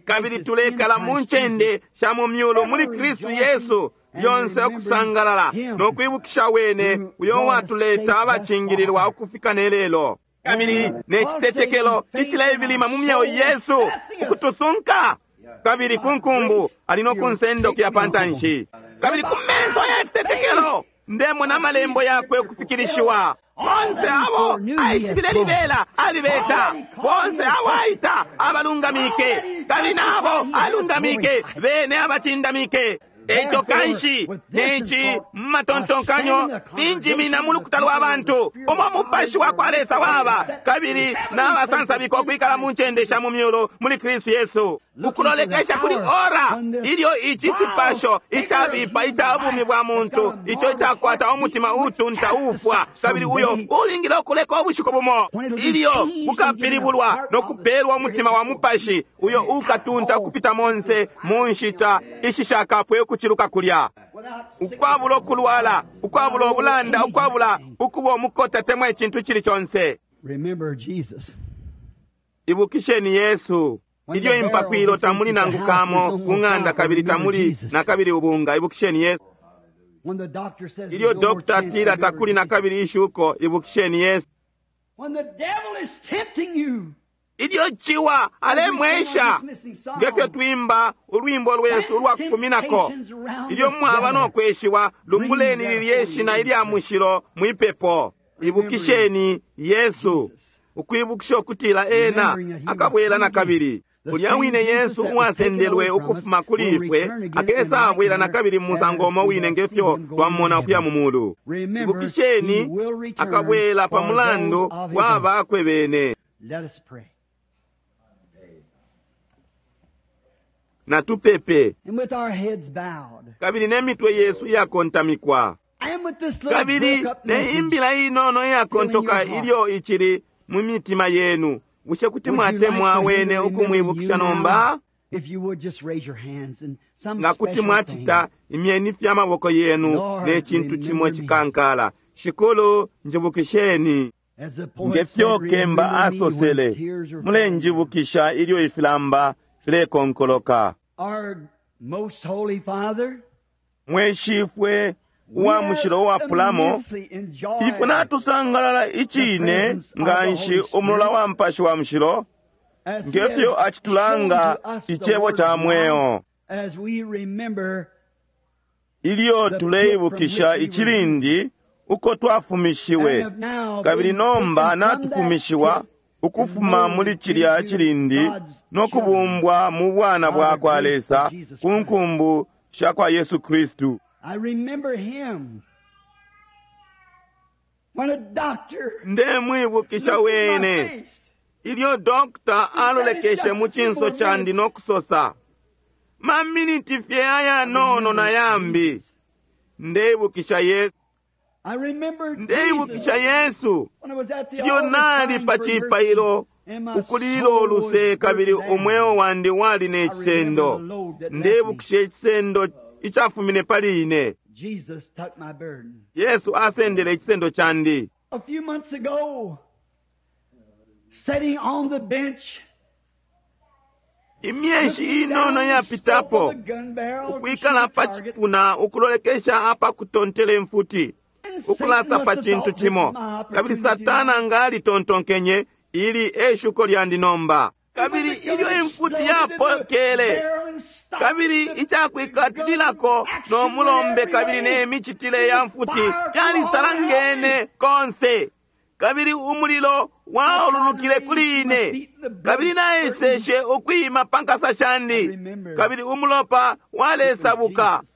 Kabili tulekala mu ncende sha mu myulu muli Kristu Yesu, lyonse ukusangalala no kwibukisha wene uyo watuleta abacingililwa ukufika ne lelo. Kabili ne citetekelo icileibilima mu myeo yesu ukutusunka, kabili ku nkumbu ali no kunsenda ukuya pa ntanshi. Kabili ku menso ya citetekelo ndemona amalembo yakwe ukufikilishiwa. Bonse abo aishibile libela alibeta, bonse abo aita abalungamike, kabili nabo alungamike bene abacindamike. Eco kanshi neci mumatontonkanyo ninjimina mu lukuta lwa bantu umo mupashi wa kwa Lesa waba, kabili n'abasansabika ukwikala mu ncende sha mu myulu muli Kristu Yesu, ukulolekesha kuli ora ilyo ici cipasho icabipa ica bumi bwa muntu ico icakwata umutima utunta ufwa, kabili uyo ulingile ukuleka ubushiku bumo ilyo bukapilibulwa no kupelwa umutima wa mupashi uyo ukatunta ukupita monse mu nshita ishishakapwe ukuciluka kulya, ukwabula ukulwala, ukwabula ubulanda, ukwabula ukuba umukota temwa icintu cili conse. Ibukisheni Yesu ilyo impakwilo tamuli nangu kamo ku ng'anda kabili tamuli na kabili ubunga. Ibukisheni Yesu ilyo dokta atila takuli na kabili ishuko. Ibukisheni Yesu ilyo ciwa alemwesha, ngefyo twimba ulwimbo lwesu ulwa kufuminako. Ilyo mwaba no kweshiwa, lumbuleni lilye shina ilya mushilo mwipepo. Ibukisheni Yesu, ukwibukisha ukutila ena akabwela na kabili. Ulya wine Yesu uwasendelwe ukufuma kuli ifwe akesa abwela na kabili mu musango umo wine ngefyo twamona ukuya mu mulu. Ibukisheni akabwela pa mulandu wa bakwe bene. Natupepe. Kabili ne mitwe yesu iyakontamikwa, kabili ne imbila inono iyakontoka ilyo icili mu mitima yenu, bushe kuti mwatemwa wene ukumwibukisha nomba? Nga kuti mwacita, imyeni fye amaboko yenu ne cintu cimo cikankala. Shikulu, njibukisheni. Ngefyo kemba asosele, mulenjibukisha ilyo ifilamba filekonkoloka. Our most holy Father, Mwe Shifwe we uwa mushilo have uwapulamo, immensely enjoyed ifwe natusangalala icine nga nshi umulola wa Mupashi wa Mushilo, as he ngefyo has acitulanga shown to us the icebo word ca of mweo. life, as we remember Ilyo tuleibukisha icilindi uko twafumishiwe, and have now kabili been nomba taken from that natufumishiwa pit ukufuma muli cilya cilindi no kubumbwa mu bwana bwa kwa Lesa ku nkumbu sha kwa Yesu Kristu. I remember him when a doctor Ndemwibukisha looked in my wene face. ilyo dokita alolekeshe mu cinso candi no kusosa, maminiti fye ayanono na yambi. Ndeibukisha Yesu, I remember Jesus ndeibukisha Yesu when I was at the ilyo altar nali crying pa for mercy, cipailo and my ukulila soul was oluse kabili burdened down. umweo wandi wali ne I cisendo. remember the load that left me. Ndeibukisha icisendo icafumine pali ine. Jesus took my burden. Yesu asendele icisendo candi. A few months ago, sitting on the bench, Imyeshi looking inono down the scope yapitapo, of a gun barrel to shoot ukwikala a pa target, cipuna ukulolekesha apa kutontela imfuti, and Satan ukulasa must pa have cintu thought, this is cimo. my Kabili opportunity Satana now. nga alitontonkenye, ili eshuko lyandi nomba. And when Kabili the gun ilyo imfuti exploded in the yapokele, barrel and stopped kabili the icakwiikatililako gun action no went mulombe every kabili way. ne micitile ya mfuti Fire flew all around me. yalisalangene konse. Kabili umulilo I tried to waululukile raise kuli my ine, feet and the blood kabili spurting. naeseshe ukwima pa nkasa I shandi, remember kabili umulopa it was walesabuka. Jesus.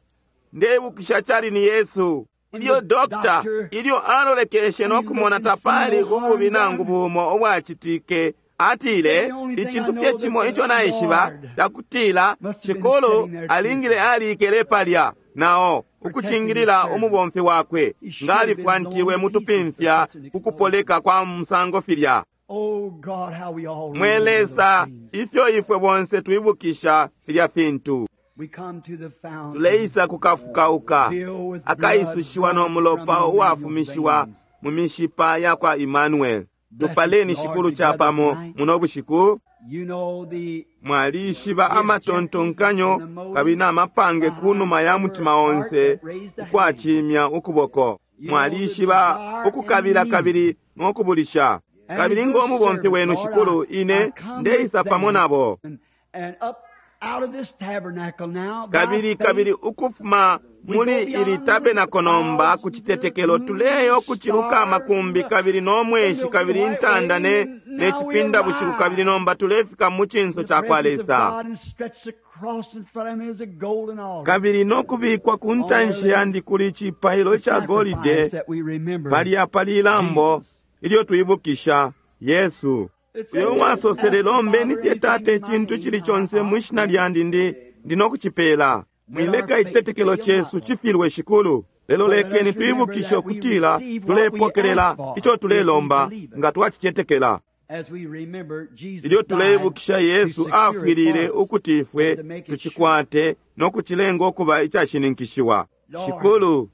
Ndeibukisha cali ni Yesu. When Ilyo the dokta doctor, ilyo alolekeshe when no he kumona looked and seen tapali no ububi harm nangu done, bumo ubwacitike, said atile the only thing I icintu fye know that cimo the ico naishiba Lord takutila must have been Shikulu sitting there alingile too, alikele palya nao protecting his ukucingilila servant. umubomfi wakwe He nga should have been blown alifwantiwe to mu pieces for tupimfya such an ku kupoleka exposure. kwa musango filya. Oh God, how we all Mwe remember those Lesa, things. ifyo ifwe bonse twibukisha filya fintu. We come to the fountain Tuleisa kukafukauka filled with blood akaisushiwa no drawn from mulopa Emmanuel's uwafumishiwa veins. mu mishipa ya kwa Emmanuel. Bless us, Tupaleni Lord, Shikulu together chapamo tonight. muno bushiku. You know the Mwalishiba the objective and amatontonkanyo the kabili motive n'amapange ku numa behind ya every mutima heart onse that raised a hand. ukwacimya ukuboko. You know the Mwalishiba desire and the ukukabila need. kabili n'okubulisha. And as Kabili your ng'omubomfi servant, wenu Lord, I, Shikulu, I ine come with ndeisa pamo them nabo. and, and up out of this tabernacle now by Kabili faith kabili ukufuma we go muli ili beyond the tabernacle nomba clouds ku and the citetekelo moon and tuleyo the kuciluka stars and amakumbi the, kabili and n'omweshi the kabili white intanda way, ne and ne now we cipinda bushiku kabili arrive nomba tulefika mu in cinso the ca kwa presence of Lesa. God and stretched across in front of me is a golden altar. Kabili n'okubikwa ku On there ntanshi yandi lays kuli icipailo the ca sacrifice golide that we remember palya pali ilambo Jesus. ilyo twibukisha Yesu. It Uyo said, wasosele Ask the lombeni Father fye anything Tate in my icintu name, cili I, conse I'll mwi shina grant it. lyandi ndi ndinokucipela. Let our Mwileka faith icitetekelo fail not, cesu Lord. cifilwe Shikulu. Lelo But let lekeni us remember twibukishe that we ukutila receive what we ask tulepokelela for ico if we tulelomba believe it. nga twacicetekela. As we remember Jesus Ilyo died tuleibukisha to Yesu secure it for afwilile us ukuti ifwe and to make it sure. tucikwate no kucilenga ukuba icashininkishiwa. Lord, Shikulu,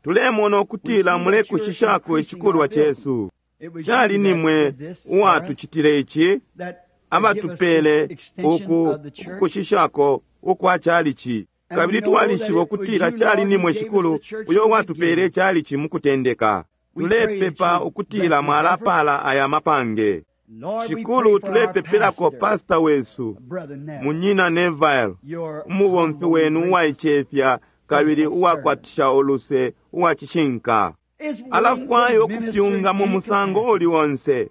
tulemona we ukutila see that you're mulekushishako increasing our icikulwa building. cesu. It was Cali you that nimwe did this for us, uwatucitile ici, that to give us this abatupele extension uku of the church. ukukushishako ukwa calici. And we Kabili know that twalishiba it was ukutila you, cali Lord, who nimwe gave us Shikulu the church uyo in the uwatupele beginning. calici mu kutendeka. We pray that Tulepepa you ukutila bless these efforts. mwalapala aya mapange. Lord, we pray Shikulu for our tulepepelako pastor, pastor wesu, Brother Neville, munyina Neville, your umubomfi humble and wenu gracious, uwaicefya kabili faithful servant, uwakwatisha uluse uwacishinka. is willing to Alafwaya minister in ukupyunga mu any musango capacity. uli onse.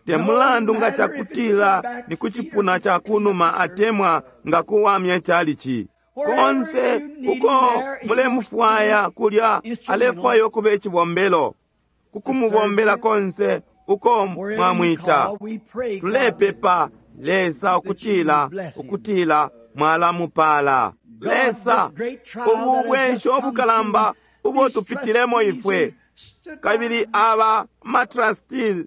Te No mulandu nga matter if it's in the cakutila back ni ku seat or cipuna if it's ca clean up kunuma the church. atemwa nga kuwamya calici. Wherever Konse you need him uko there, he wants to mulemufwaya be kulya instrumental alefwaya ukuba icibombelo. to serve Kukumubombela you. konse uko Wherever you mwamwita. call, we pray, God, that, Tulepepa Lesa that you ukutila would bless him. ukutila mwalamupala. God, this Lesa great trial that ubu has just bwensho come through, obukalamba ubo these tupitilemo trustees who ifwe stood by kabili me, aba matrustees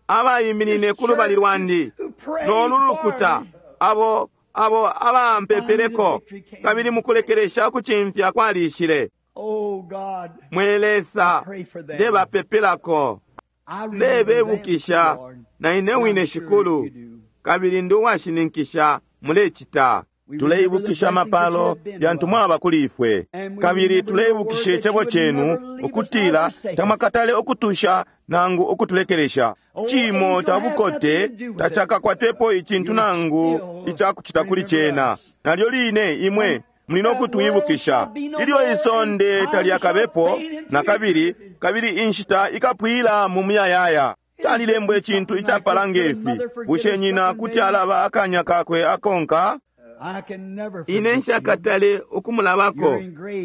abayiminine this ku lubali church who, lwandi who prayed n'olu for lukuta me, abo abo finally the abampepeleko victory came. kabili mukulekelesha ukucimfya kwalishile. Oh God, Mwe I Lesa pray for them. ndebapepelako I remember them too, ndebebukisha Lord, na ine and I'm wine sure Shikulu you do. kabili ndi uwashininkisha Mulecita. Tuleibukisha amapalo yantu mwaba kuli ifwe, kabili tuleibukisha icebo cenu ukutila tamwakatale ukutusha nangu ukutulekelesha. Cimo ca bukote tacakakwatepo icintu nangu icakucita kuli cena. Nalyo line imwe muli no kutwibukisha ilyo isonde talyakabepo na kabili, kabili inshita ikapwila mu muyayaya. Calilembwa icintu icapala ngefi: bushe nyina kuti alaba akanya kakwe akonka? Ine nshakatale ukumulabako.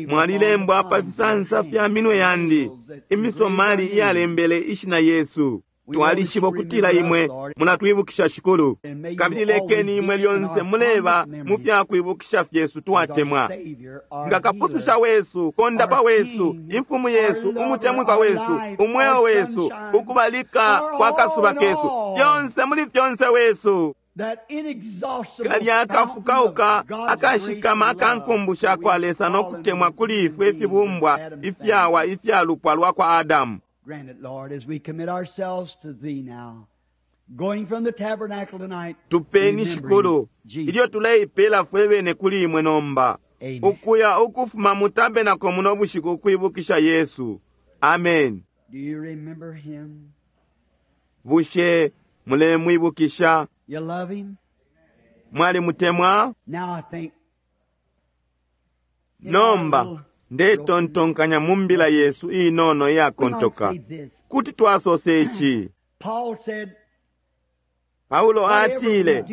Mwalilembwa pa fisansa fya minwe yandi, imisomali iyalembele ishina Yesu. Twalishiba ukutila imwe mulatwibukisha, Shikulu, kabili lekeni imwe lyonse muleba mu fyakwibukisha fyesu twatemwa, nga kapususha wesu, kondapa wesu, imfumu yesu, umutemwikwa wesu, umweo wesu, ukubalika kwa kasuba kesu, fyonse muli fyonse wesu. Kalya akafukauka akashikama akankumbusha kwa Lesa no kutemwa kuli ifwe ifibumbwa ifyawa ifyalupwa lwa kwa Adamu. Tupeni, Shikulu, ilyo tuleipela fwe bene kuli imwe nomba, ukuya ukufuma mu tabenako muno bushiku ukwibukisha Yesu. Amen. Bushe mulemwibukisha? Mwalimutemwa? Nomba ndetontonkanya mu mbila yesu inono iyakontoka kuti twasose ici. Paulo atile,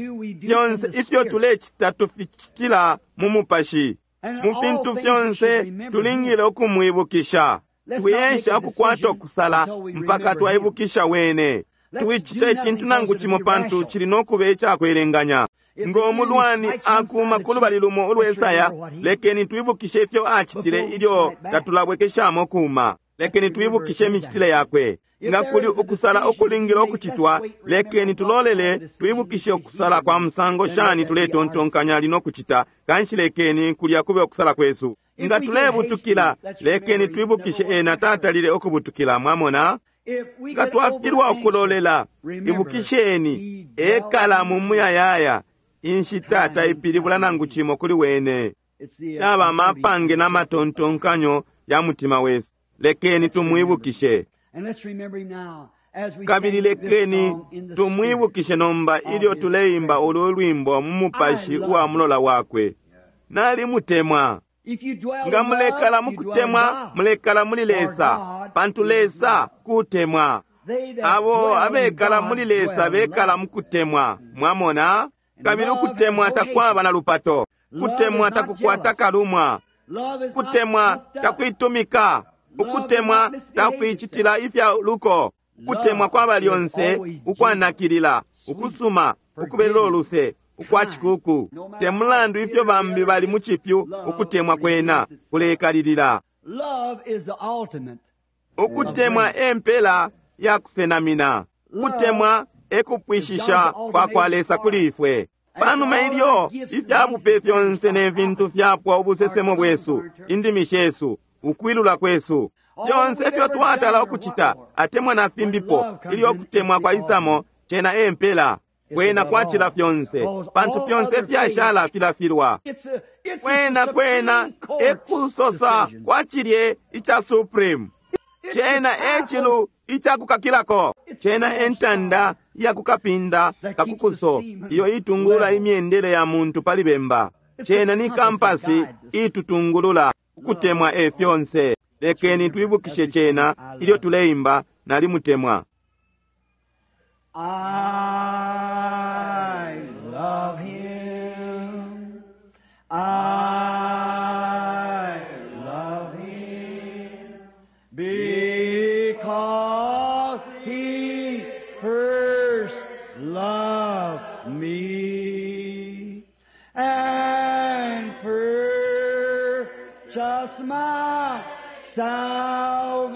fyonse ifyo tulecita tuficitila mu mupashi. Mu fintu fyonse tulingile ukumwibukisha. Twiyesha ukukwata ukusala mpaka twaibukisha wene. Twicita icintu nangu cimo pantu cili no kuba icakwelenganya. Ngo mulwani akuma ku lubali lumo ulwesaya, lekeni twibukishe ifyo acitile ilyo tatulabwekeshamo kuma. Lekeni twibukishe imicitile yakwe. Nga kuli ukusala ukulingile ukucitwa, lekeni tulolele twibukishe ukusala kwa musango shani tuletontonkanya lino kucita, kanshi lekeni kulya kube ukusala kwesu. Nga tulebutukila, lekeni twibukishe ena tatalile ukubutukila. Mwamona? Nga twafilwa ukulolela, ibukisheni ekala mu muyayaya. Inshita taipilibula nangu cimo kuli wene. Yaba amapange n'amatontonkanyo ya mutima wesu. Lekeni tumwibukishe. Kabili lekeni tumwibukishe nomba ilyo tuleimba ulu lwimbo mu mupashi uwa mulola wakwe. Nalimutemwa. Nga mulekala mukutemwa, mulekala muli Lesa, pantu Lesa kutemwa. Abo abekala muli Lesa bekala mukutemwa. Mwamona? Kabili ukutemwa takwaba na lupato. Kutemwa takukwata kalumwa. Kutemwa takuitumika. Ukutemwa takuicitila ifya luko. Kutemwa kwaba lyonse ukwanakilila, ukusuma, ukubelela uluse, ukwa cikuku. Te mulandu ifyo bambi bali mu cipyu, ukutemwa kwena kulekalilila. Ukutemwa e mpela ya kusenamina. Kutemwa e kupwishisha kwa kwa Lesa kuli ifwe. Panuma ilyo ifya bupe fyonse ne fintu fyapwa, ubusesemo bwesu, indimi shesu, ukwilula kwesu, fyonse ifyo twatala ukucita atemwa na fimbipo, ilyo kutemwa kwa isamo, cena e mpela kwena kwacila fyonse, pantu fyonse fyashala filafilwa. Kwena kwena ekusosa kwa cilye ica Supreme, cena e cilu icakukakilako, cena e ntanda iyakukapinda kakukuso iyo itungulula imyendele ya muntu pali bemba. Cena ni kampasi itutungulula. Ukutemwa e fyonse. Lekeni twibukishe cena ilyo tuleimba nalimutemwa. I love him. I love him because he first loved me and purchased my salvation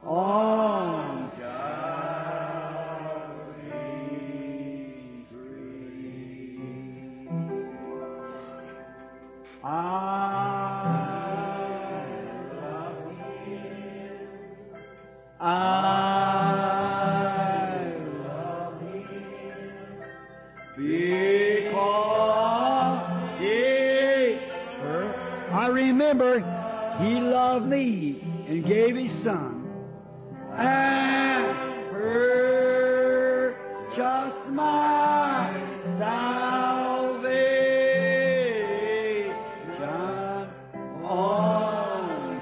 on Calvary's tree. I love him. I love him I remember He loved me and gave His Son and purchased my salvation on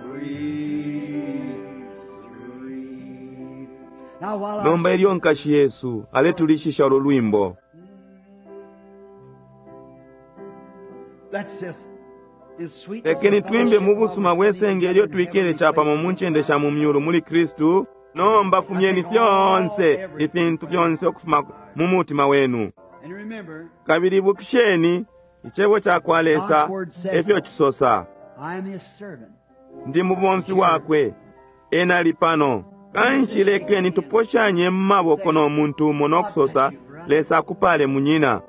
Calvary's tree. Now while I Nomba ilyo nkashi Yesu aletulishisha ulu lwimbo. Let's just in sweet Lekeni twimbe mu busuma bwesenge ilyo twikele chapamo mu ncende sha mu myulu muli Kristu. Nomba fumyeni fyonse ifintu fyonse ukufuma mu mutima wenu. And remember, Kabili ibukisheni icebo ca kwa Lesa efyo cisosa. I am His servant. Ndi mubomfi wakwe, ena ali pano. Kanshi lekeni tuposhanye mu maboko no muntu umo nokusosa, Lesa akupale munyina.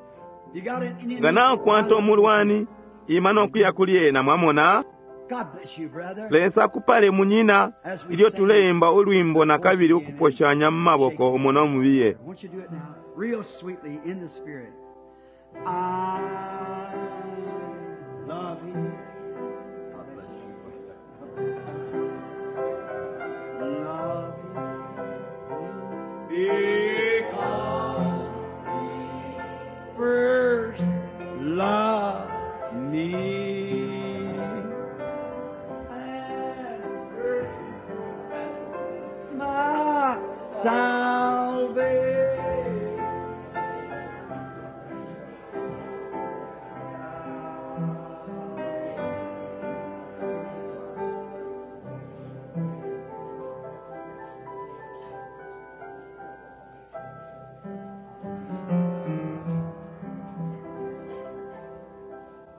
You got an enemy. Nga nakwata omulwani, ima nokuya kuli ena mwamona. God bless you, brother. Lesa akupale munyina, ilyo tuleimba ulwimbo na kabili ukuposhanya mu maboko umo no mubiye. Won't you do it now? Real sweetly in the Spirit. I love you. God bless you. Love you. Because he first loved me. And purchased my salvation.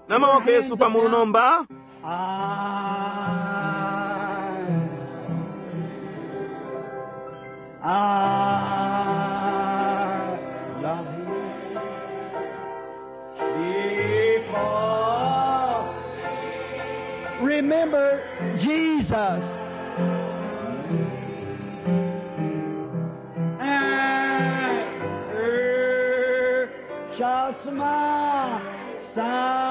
N'amaboko Yesu pamulu nomba. I, I love him because remember Jesus and purchased my salvation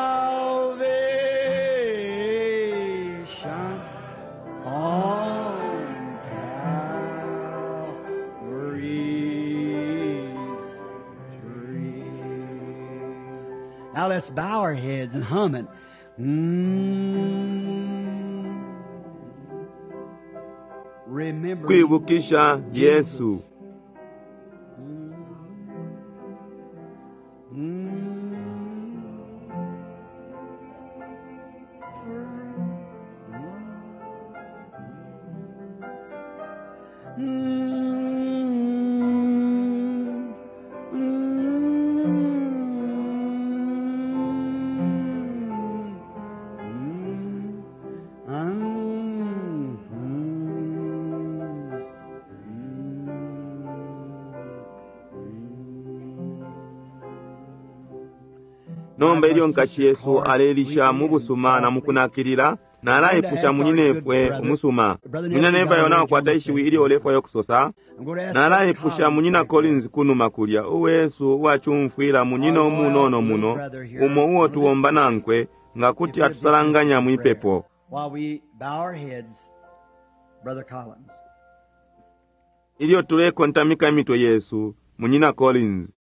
on Calvary's tree. Now let's bow our heads and hum it. Mm. Remember Kwibukisha Yesu. Mm. Mm. Mm. Mm. Mm. Mm. Nomba ilyo nkashi Yesu alelisha mu busuma na mukunakilila, nalaipusha munyinefwe umusuma. Munyina Neville nakwata ishiwi ilyo ulefwayo kusosa. Nalaipusha munyina Collins kunuma kulya, uwesu uwacumfwila munyina umunono muno, umo uo tuwomba nankwe, nga kuti atusalanganya mwipepo. While we bow our heads, Brother Collins. Ilyo tulekontamika imitwe yesu, munyina Collins.